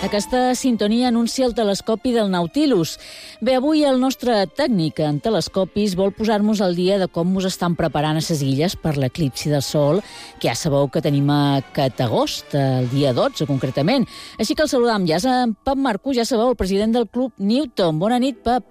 Aquesta sintonia anuncia el telescopi del Nautilus. Bé, avui el nostre tècnic en telescopis vol posar-nos al dia de com ens estan preparant a les illes per l'eclipsi del Sol, que ja sabeu que tenim aquest agost, el dia 12 concretament. Així que el saludam ja és en Pep Marcú, ja sabeu, el president del Club Newton. Bona nit, Pep.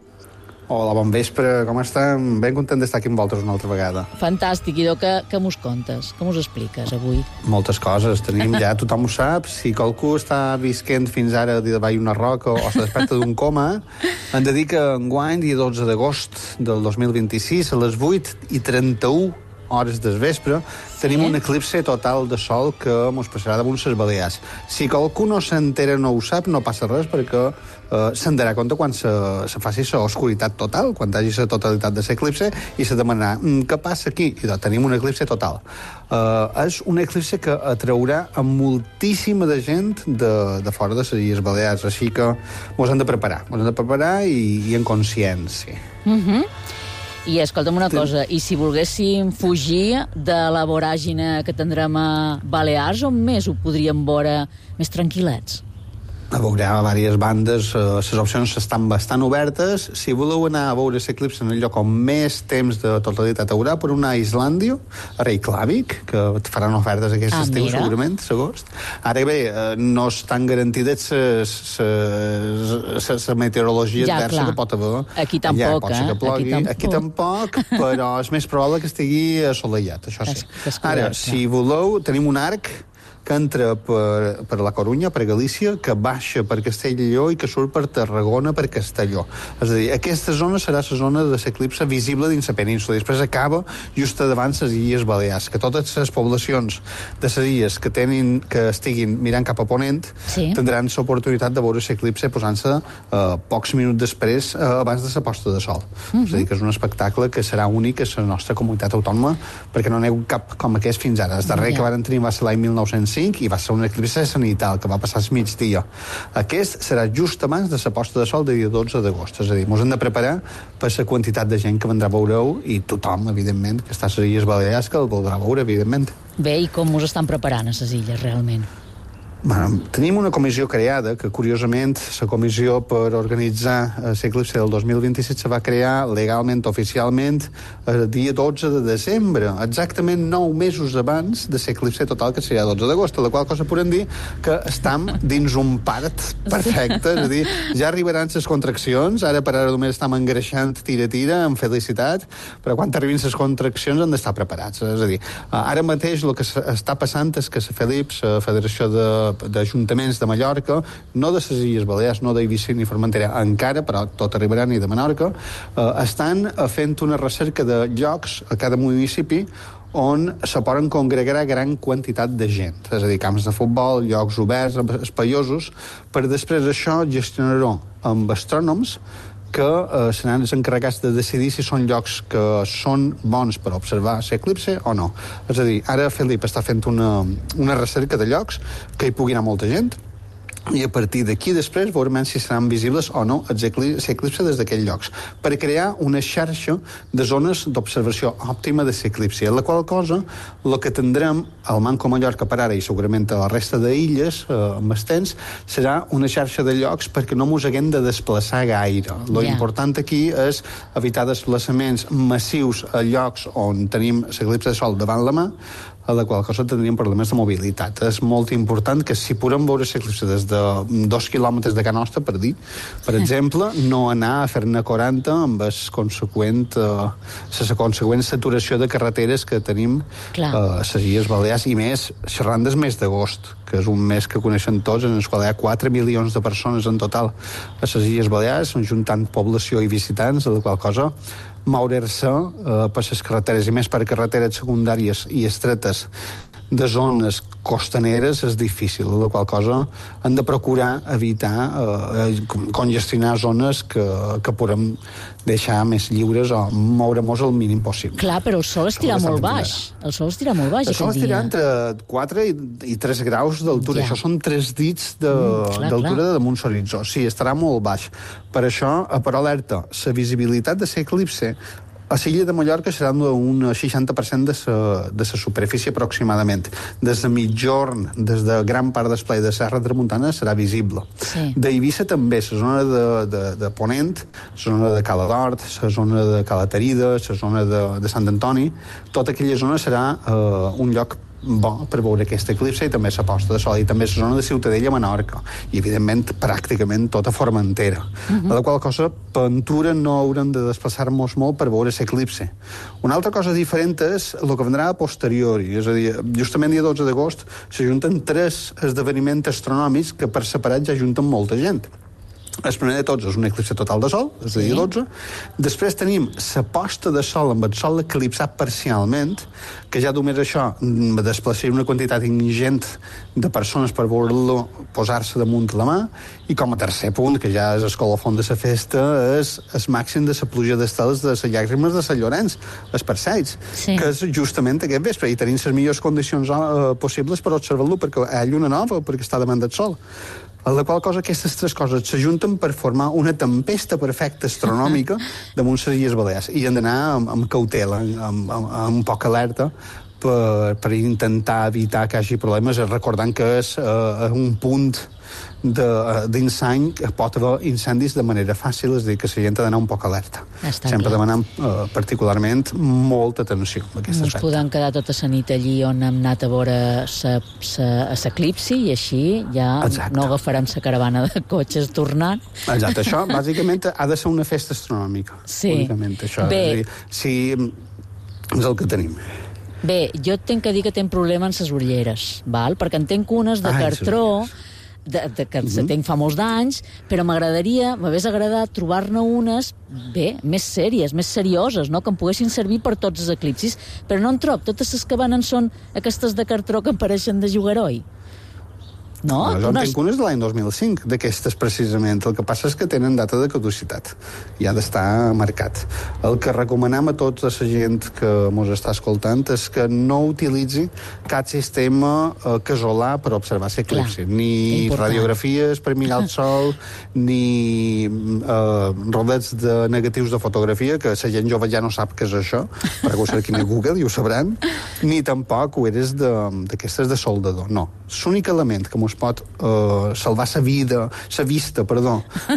Hola, bon vespre, com estem? Ben content d'estar aquí amb vosaltres una altra vegada. Fantàstic, idò, què mos contes? Què mos expliques avui? Moltes coses, tenim ja, tothom ho sap, si qualcú està visquent fins ara davall una roca o se desperta d'un coma, hem de dir que enguany, dia 12 d'agost del 2026, a les 8:31 hores del vespre, tenim un eclipse total de sol que mos passarà damunt les Balears. Si qualcú no s'entera, no ho sap, no passa res, perquè se'n darà compte quan se faci l'oscuritat total, quan hi hagi la totalitat de l'eclipse, i se demanarà, què passa aquí? I doncs tenim un eclipse total. És un eclipse que atraurà a moltíssima de gent de fora de les Illes Balears, així que mos hem de preparar i en consciència. I escolta'm una cosa, i si volguéssim fugir de la voràgine que tindrem a Balears, on més ho podríem veure més tranquil·lets? Veurà diverses bandes, les opcions estan bastant obertes. Si voleu anar a veure l'eclipse en el lloc on més temps de totalitat haurà, per una a Islàndia, a Reykjavik, que faran ofertes aquest estiu, segurament, l'agost. Ara bé, no estan garantides la meteorologia adversa que pot haver. Aquí tampoc, pot ser que plogui. Aquí tampoc, però és més probable que estigui assolellat, això sí. Ara, si voleu, tenim un arc que entra per la Corunya, per Galícia, que baixa per Castelló i que surt per Tarragona, per Castelló. És a dir, aquesta zona serà la zona de l'eclipse visible dins la península. Després acaba just davant les Illes Balears, que totes les poblacions de les illes que estiguin mirant cap a ponent tindran l'oportunitat de veure l'eclipse posant-se pocs minuts després, abans de la posta de sol. És a dir, que és un espectacle que serà únic a la nostra comunitat autònoma, perquè no n'hi ha cap com aquest fins ara. El darrer que van tenir va ser l'any 1905 i va ser un eclipse sanital que va passar al migdia. Aquest serà just abans de la posta de sol del dia 12 d'agost. És a dir, ens hem de preparar per la quantitat de gent que vendrà a veure-ho i tothom, evidentment, que està a les Illes Balears, que el voldrà veure, evidentment. Bé, i com us estan preparant a les illes, realment? Bueno, tenim una comissió creada que, curiosament, la comissió per organitzar l'eclipse del 2027 se va crear legalment, oficialment, el dia 12 de desembre, exactament 9 mesos abans de l'eclipse total, que seria el 12 d'agost, la qual cosa podem dir que estem dins un part perfecte, és a dir, ja arribaran les contraccions, ara per ara només estem engreixant tira-tira, amb felicitat, però quan arribin les contraccions han d'estar preparats. És a dir, ara mateix el que està passant és que la FELIP, la Federació d'Ajuntaments de Mallorca, no de les Illes Balears, no d'Eivissa ni Formentera encara, però tot arribarà, ni de Menorca, estan fent una recerca de llocs a cada municipi on se poden congregar gran quantitat de gent, és a dir, camps de futbol, llocs oberts, espaiosos, per després això gestionar-ho amb astrònoms que seran els encarregats de decidir si són llocs que són bons per observar l'eclipse o no. És a dir, ara Felip està fent una recerca de llocs que hi pugui anar molta gent, i a partir d'aquí després veurem si seran visibles o no l'eclipse des d'aquells llocs, per crear una xarxa de zones d'observació òptima de l'eclipse, la qual cosa el que tindrem al Manco Mallorca per ara i segurament a la resta d'illes amb el temps serà una xarxa de llocs perquè no mos haguem de desplaçar gaire. Lo important aquí és evitar desplaçaments massius a llocs on tenim l'eclipse de sol davant la mà, a la qual cosa tindríem problemes de mobilitat. És molt important que si podem veure l'eclipse des de 2 quilòmetres de Can Nostra, per dir, per exemple, no anar a fer-ne 40 amb la conseqüent saturació de carreteres que tenim a les Illes Balears, i més xerrant del mes d'agost, que és un mes que coneixen tots, en el qual hi ha 4 milions de persones en total a les Illes Balears, juntant població i visitants, a la qual cosa moure-se per les carreteres, i més per carreteres secundàries i estretes de zones costaneres és difícil, la qual cosa hem de procurar evitar congestionar zones que podem deixar més lliures o moure-nos el mínim possible. Clar, però el sol estirà molt baix. El sol estirà molt baix. El sol estirà entre 4 i 3 graus d'altura. Això són 3 dits d'altura damunt l'horitzó. Sí, estarà molt baix. Per això, per alerta, la visibilitat de l'eclipse a l'illa de Mallorca serà un 60% de la superfície aproximadament. Des de mitjorn, des de gran part del esplai de Serra Tramuntana serà visible. Sí. D'Eivissa també, la zona de Ponent, la zona de Cala d'Hort, la zona de Cala Tarida, la zona de Sant Antoni, tota aquella zona serà un lloc bo per veure aquest eclipse, i també la posta de sol, i també la zona de Ciutadella a Menorca, i evidentment pràcticament tota Formentera. A la qual cosa, per Ventura no haurem de desplaçar-nos molt per veure l'eclipse. Una altra cosa diferent és el que vendrà a posteriori, és a dir, justament dia 12 d'agost s'ajunten 3 esdeveniments astronòmics que per separat ja ajunten molta gent. El primer de tots és un eclipse total de sol, és el dia 12. Després tenim la posta de sol amb el sol eclipsat parcialment, que ja només això desplaçaria una quantitat ingent de persones per veure-lo posar-se damunt la mà. I com a tercer punt, que ja és el colofon de la festa, és el màxim de la pluja d'estels de les llàgrimes de Sant Llorenç, els Perseids, que és justament aquest vespre, i tenim les millors condicions possibles per observar-lo, perquè hi ha lluna nova, perquè està davant del sol. A la qual cosa aquestes 3 coses s'ajunten per formar una tempesta perfecta astronòmica damunt les Illes Balears. I hem d'anar amb cautela, amb poca alerta, per intentar evitar que hi hagi problemes, recordant que és un punt d'insany que pot haver incendis de manera fàcil, és a dir, que la gent ha d'anar un poc alerta. Sempre demanant particularment molta atenció a aquest aspecte. Ens podem quedar tota la nit allí on hem anat a veure l'eclipsi, i així ja no agafarem la caravana de cotxes tornant. Exacte, això bàsicament ha de ser una festa astronòmica. Sí. Únicament això. Bé. Sí, és el que tenim. Bé, jo tinc que dir que tinc problema amb les ulleres, val? Perquè en tinc unes de cartró, que tenc fa molts d'anys, però m'hagués agradat trobar-ne unes, bé, més sèries, més serioses, no? Que em poguessin servir per tots els eclipsis, però no en trob. Totes les que venen són aquestes de cartró que em pareixen de jugaroi. No? Jo en tinc unes de l'any 2005, d'aquestes precisament. El que passa és que tenen data de caducitat i ha d'estar marcat. El que recomanem a tota la gent que ens està escoltant és que no utilitzi cap sistema casolà per observar l'eclipsi. Ni radiografies per mirar el sol, ni rodets de negatius de fotografia, que la gent jove ja no sap què és això, perquè ho cerquin a Google i ho sabran, ni tampoc ulleres d'aquestes de soldador. No. L'únic element que es pot salvar la vista,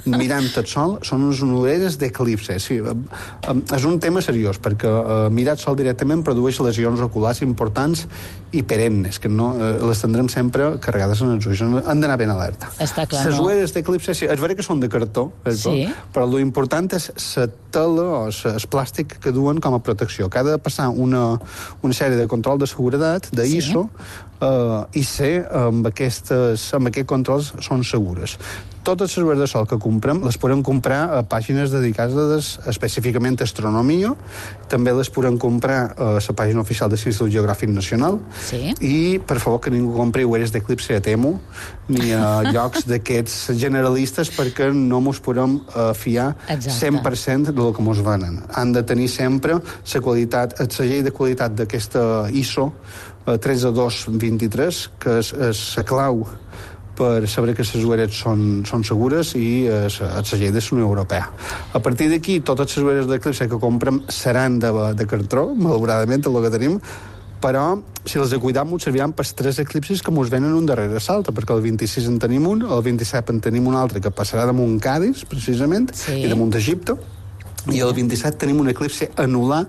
mirant el sol, són unes ulleres d'eclipse. Sí, és un tema seriós, perquè mirar el sol directament produeix lesions oculars importants i perennes, que no les tindrem sempre carregades en els ulls. Han d'anar ben alerta. Està clar, les ulleres d'eclipse, sí, és vera que són de cartó, però l'important és la tela o el plàstic que duen com a protecció, que ha de passar una sèrie de control de seguretat, d'ISO, i ser amb aquest controls són segures. Totes les ulleres de sol que comprem les podem comprar a pàgines dedicades específicament a astronomia, també les podem comprar a la pàgina oficial de l'Institut Geogràfic Nacional, i per favor que ningú compri ulleres d'eclipse a Temu ni a llocs d'aquests generalistes, perquè no mos podem fiar 100% del que mos venen. Han de tenir sempre la qualitat, el segell de qualitat d'aquesta ISO 13223, que és la clau per saber que les ulleres són segures, i el segell de la Unió Europea. A partir d'aquí, totes les ulleres d'eclipse que comprem seran de cartró, malauradament, el que tenim, però si les cuidam ens serviran per 3 eclipsis que ens venen un darrere l'altre, perquè el 26 en tenim un, el 27 en tenim un altre que passarà damunt Cadis, precisament, i damunt Egipte, i el 27 tenim un eclipsi anular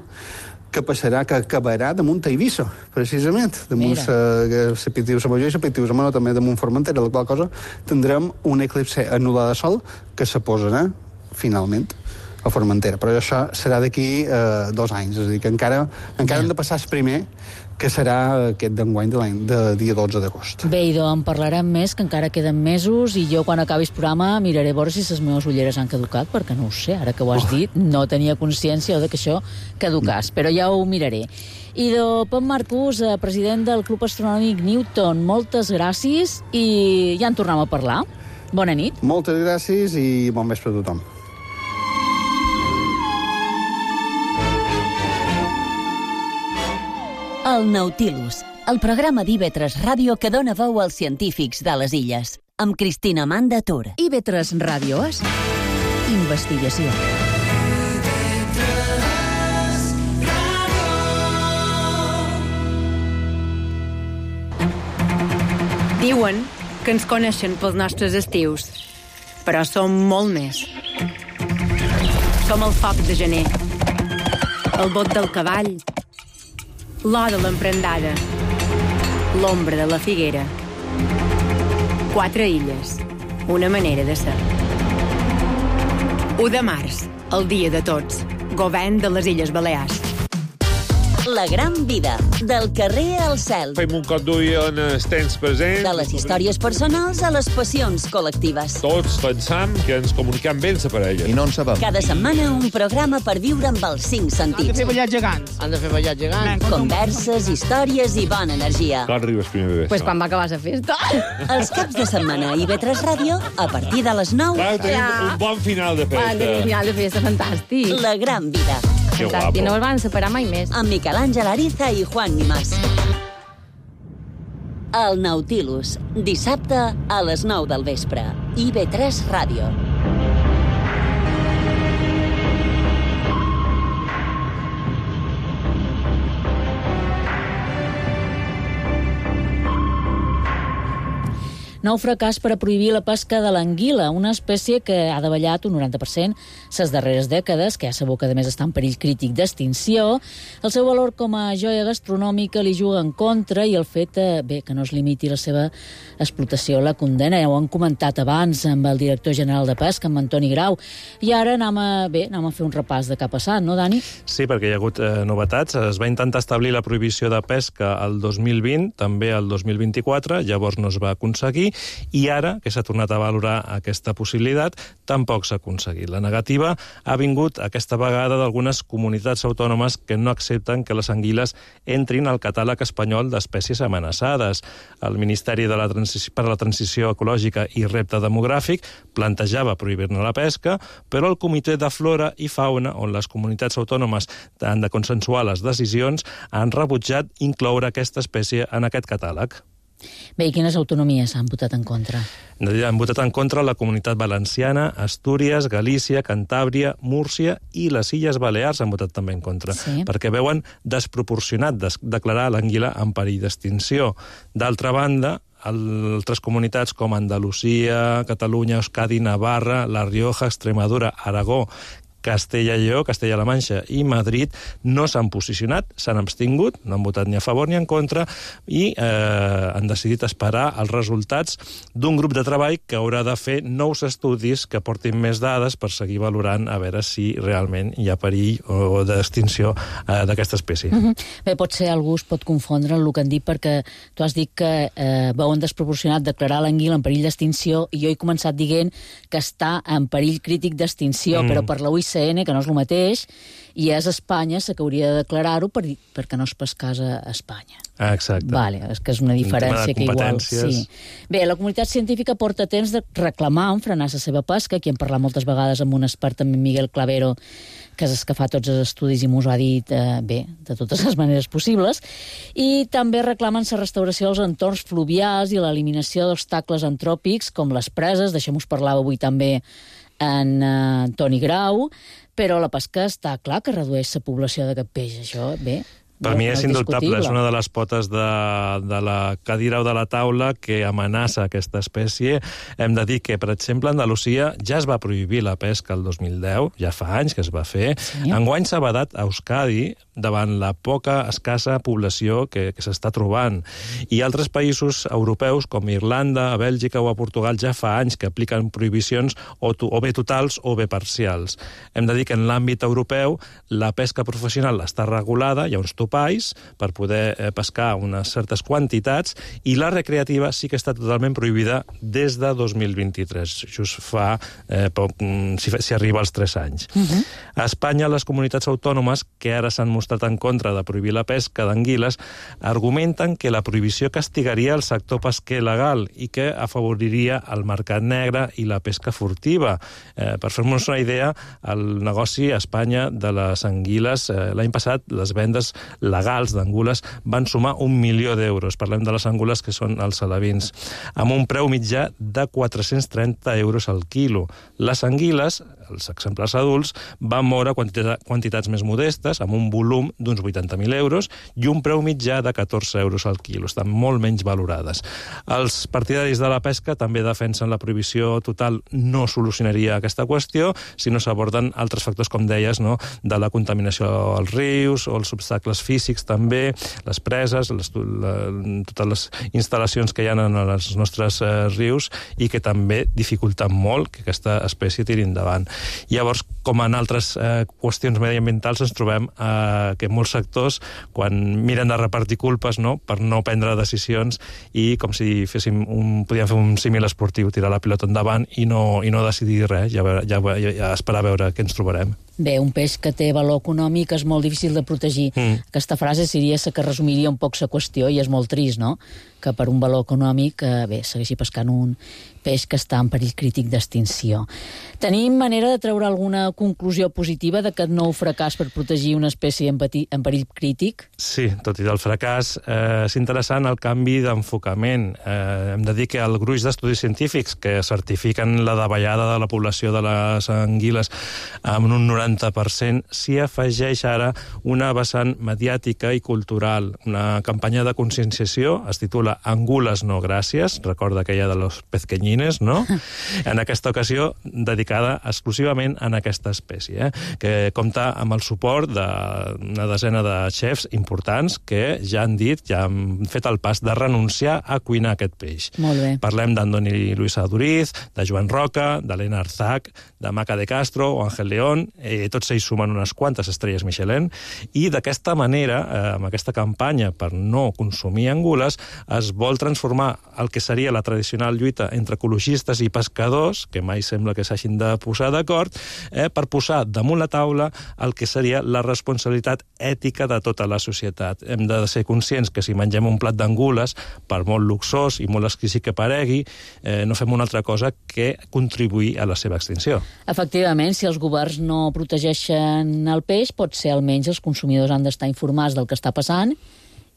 que acabarà damunt a Eivissa, precisament, damunt la Pitiusa Major i la Pitiusa Menor, també damunt Formentera, la qual cosa tindrem un eclipse anular de sol que se posarà, finalment, a Formentera. Però això serà d'aquí 2 anys, és a dir, que encara hem de passar el primer, que serà aquest d'enguany de dia 12 d'agost. Bé, idò, en parlarem més, que encara queden mesos, i jo, quan acabi el programa, miraré a veure si les meves ulleres han caducat, perquè no ho sé, ara que ho has dit, no tenia consciència de que això caducàs, però ja ho miraré. Idò, Pep Marcús, president del Club Astronòmic Newton, moltes gràcies, i ja en tornem a parlar. Bona nit. Moltes gràcies i bon vespre a tothom. El Nautilus, el programa d'IV3 Ràdio que dona veu als científics de les illes, amb Cristina Amanda Tur. IV3 Ràdio és investigació. Diuen que ens coneixen pels nostres estius, però som molt més. Som el foc de gener, el bot del cavall, l'or de l'emprendada, l'ombra de la figuera. 4 illes, una manera de ser. 1 de març, el dia de tots. Govern de les Illes Balears. La gran vida, del carrer al cel. Fem un cop d'ull en els temps presents. De les històries personals a les passions col·lectives. Tots pensam que ens comuniquem bé amb la parella. I no en sabem. Cada setmana un programa per viure amb els 5 sentits. Han de fer ballar gegants. Han de fer ballar gegants. Converses, històries i bona energia. Quan arribes primer bé? Pues quan va acabar la festa. Els caps de setmana a IB3 Ràdio, a partir de les 9. Clar, tenim un bon final de festa. Un final de festa fantàstic. La gran vida. Que guapo. No es van separar mai més. Amb Miquel Àngel Ariza i Juan Nimás. El Nautilus, dissabte a les 9 del vespre. IB3 Ràdio. Nou fracàs per a prohibir la pesca de l'anguila, una espècie que ha davallat un 90% ses darreres dècades, que ja sabeu que a més està en perill crític d'extinció. El seu valor com a joia gastronòmica li juga en contra i el fet que no es limiti la seva explotació la condena. Ja ho han comentat abans amb el director general de Pesca, amb Antoni Grau. I ara anem a fer un repàs de què ha passat, no, Dani? Sí, perquè hi ha hagut novetats. Es va intentar establir la prohibició de pesca el 2020, també el 2024, llavors no es va aconseguir, i ara, que s'ha tornat a valorar aquesta possibilitat, tampoc s'ha aconseguit. La negativa ha vingut aquesta vegada d'algunes comunitats autònomes que no accepten que les anguiles entrin al catàleg espanyol d'espècies amenaçades. El Ministeri per a la Transició Ecològica i Repte Demogràfic plantejava prohibir-ne la pesca, però el Comitè de Flora i Fauna, on les comunitats autònomes han de consensuar les decisions, han rebutjat incloure aquesta espècie en aquest catàleg. Bé, i quines autonomies han votat en contra? Han votat en contra la Comunitat Valenciana, Astúries, Galícia, Cantàbria, Múrcia i les Illes Balears han votat també en contra, perquè veuen desproporcionat declarar l'anguila en perill d'extinció. D'altra banda, altres comunitats com Andalusia, Catalunya, Euskadi, Navarra, La Rioja, Extremadura, Aragó, Castella i Lleó, Castella-La Manxa i Madrid no s'han posicionat, s'han abstingut, no han votat ni a favor ni en contra i han decidit esperar els resultats d'un grup de treball que haurà de fer nous estudis que portin més dades per seguir valorant a veure si realment hi ha perill o d'extinció d'aquesta espècie. Bé, potser algú es pot confondre en el que han dit perquè tu has dit que veuen desproporcionat declarar l'anguila en perill d'extinció i jo he començat dient que està en perill crític d'extinció, però per la UICN, que no és el mateix, i és Espanya la que hauria de declarar-ho perquè no es pescàs a Espanya. Exacte. Vale, és que és una diferència que igual... Sí. Bé, la comunitat científica porta temps de reclamar frenar la seva pesca, aquí hem parlat moltes vegades amb un expert, també Miguel Clavero, que és el que fa tots els estudis i m'ho ha dit de totes les maneres possibles, i també reclamen la restauració dels entorns fluvials i l'eliminació d'obstacles antròpics com les preses, d'això us parlava avui també en Toni Grau, però la pesca està clar que redueix la població d'aquest peix, això, bé... Per mi és indubtable, és una de les potes de la cadira o de la taula que amenaça aquesta espècie. Hem de dir que, per exemple, a Andalusia ja es va prohibir la pesca el 2010, ja fa anys que es va fer. Enguany s'ha vedat a Euskadi davant la escassa població que s'està trobant. I altres països europeus, com Irlanda, a Bèlgica o a Portugal, ja fa anys que apliquen prohibicions o bé totals o bé parcials. Hem de dir que en l'àmbit europeu la pesca professional està regulada, hi ha uns topalls per poder pescar unes certes quantitats, i la recreativa sí que està totalment prohibida des de 2023, just fa poc, si arriba als 3 anys. A Espanya, les comunitats autònomes que ara s'han mostrat en contra de prohibir la pesca d'anguiles argumenten que la prohibició castigaria el sector pesquer legal i que afavoriria el mercat negre i la pesca furtiva. Per fer-nos una idea, el negoci a Espanya de les anguiles, l'any passat les vendes legals d'angules van sumar 1 milió d'euros. Parlem de les angules que són els alevins, amb un preu mitjà de 430 euros al quilo. Les anguiles, els exemplars adults, van moure quantitats més modestes, amb un volum d'uns 80.000 euros i un preu mitjà de 14 euros al quilo. Estan molt menys valorades. Els partidaris de la pesca també defensen la prohibició total no solucionaria aquesta qüestió si no s'aborden altres factors, com deies, no? De la contaminació als rius o els obstacles físics també, les preses, totes les instal·lacions que hi ha en els nostres rius i que també dificulten molt que aquesta espècie tiri endavant. Llavors, com en altres qüestions mediambientals, ens trobem que molts sectors, quan miren de repartir culpes, no?, per no prendre decisions i com si podíem fer un símil esportiu, tirar la pilota endavant i no decidir res, ja esperar a veure què ens trobarem. Bé, un peix que té valor econòmic és molt difícil de protegir. Aquesta frase seria que resumiria un poc la qüestió i és molt trist, no?, que per un valor econòmic, segueixi pescant un peix que està en perill crític d'extinció. Tenim manera de treure alguna conclusió positiva d'aquest nou fracàs per protegir una espècie en perill crític? Sí, tot i del fracàs, és interessant el canvi d'enfocament. Hem de dir que el gruix d'estudis científics que certifiquen la davallada de la població de les anguiles amb un 90%, s'hi afegeix ara una vessant mediàtica i cultural, una campanya de conscienciació, es titula Angules no gràcies, recorda aquella de los pezqueñines, no? En aquesta ocasió dedicada exclusivament a aquesta espècie, que compta amb el suport d'una desena de xefs importants que ja han dit, ja han fet el pas de renunciar a cuinar aquest peix. Molt bé. Parlem d'Andoni Luisa Duriz, de Joan Roca, d'Helena Arzac, de Maca de Castro o Ángel León, tots ells sumen unes quantes estrelles Michelin, i d'aquesta manera, amb aquesta campanya per no consumir angules, es vol transformar el que seria la tradicional lluita entre ecologistes i pescadors, que mai sembla que s'hagin de posar d'acord, per posar damunt la taula el que seria la responsabilitat ètica de tota la societat. Hem de ser conscients que si mengem un plat d'angules, per molt luxós i molt exquisit que paregui, no fem una altra cosa que contribuir a la seva extinció. Efectivament, si els governs no protegeixen el peix, potser almenys els consumidors han d'estar informats del que està passant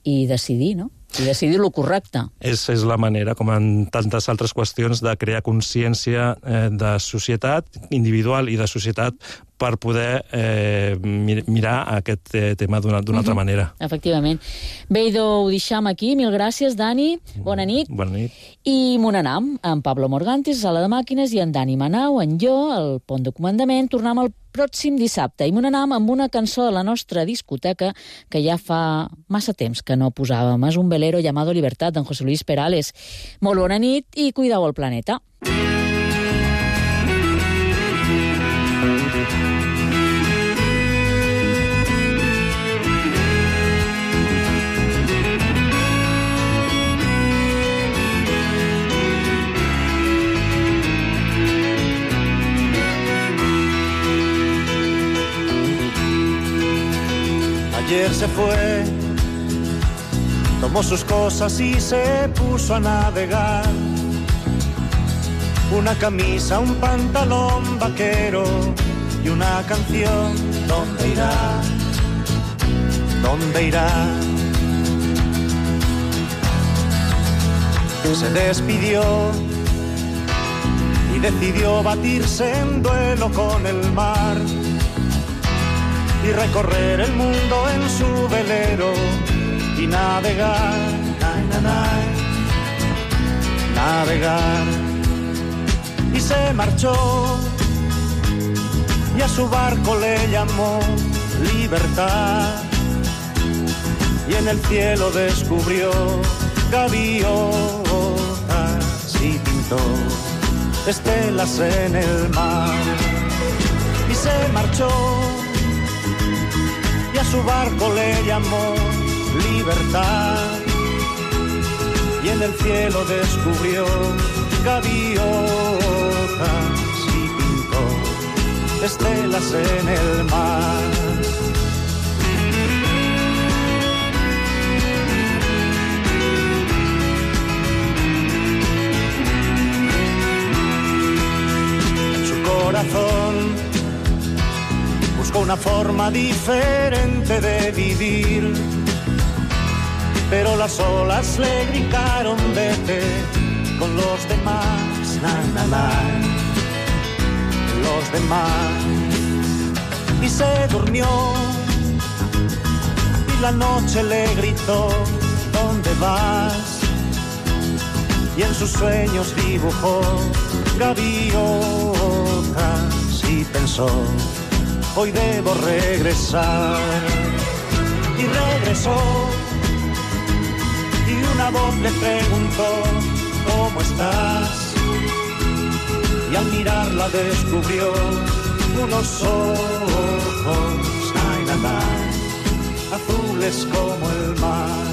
i decidir, no? I decidir el correcte. És la manera, com en tantes altres qüestions, de crear consciència de societat individual i de societat per poder mirar aquest tema d'una altra manera. Efectivament. Bé, idò, ho deixam aquí. Mil gràcies, Dani. Bona nit. Bona nit. I Monanam, en Pablo Morgantis, sala de màquines, i en Dani Manau, en jo, al pont de comandament. Tornem el pròxim dissabte. I Monanam amb una cançó de la nostra discoteca que ja fa massa temps que no posàvem. És un velero llamado Libertad, d'en José Luis Perales. Molt bona nit i cuideu el planeta. Ayer se fue, tomó sus cosas y se puso a navegar. Una camisa, un pantalón vaquero y una canción. ¿Dónde irá? ¿Dónde irá? Se despidió y decidió batirse en duelo con el mar y recorrer el mundo en su velero y navegar, navegar. Y se marchó y a su barco le llamó Libertad y en el cielo descubrió gaviotas y pintó estelas en el mar. Y se marchó y a su barco le llamó Libertad y en el cielo descubrió gaviotas y pintó estelas en el mar. En su corazón buscó una forma diferente de vivir, pero las olas le gritaron vete con los demás, los demás. Y se durmió y la noche le gritó ¿dónde vas? Y en sus sueños dibujó gaviotas y pensó hoy debo regresar. y regresó. Y una voz le preguntó, ¿cómo estás? Y al mirarla descubrió unos ojos, azules como el mar.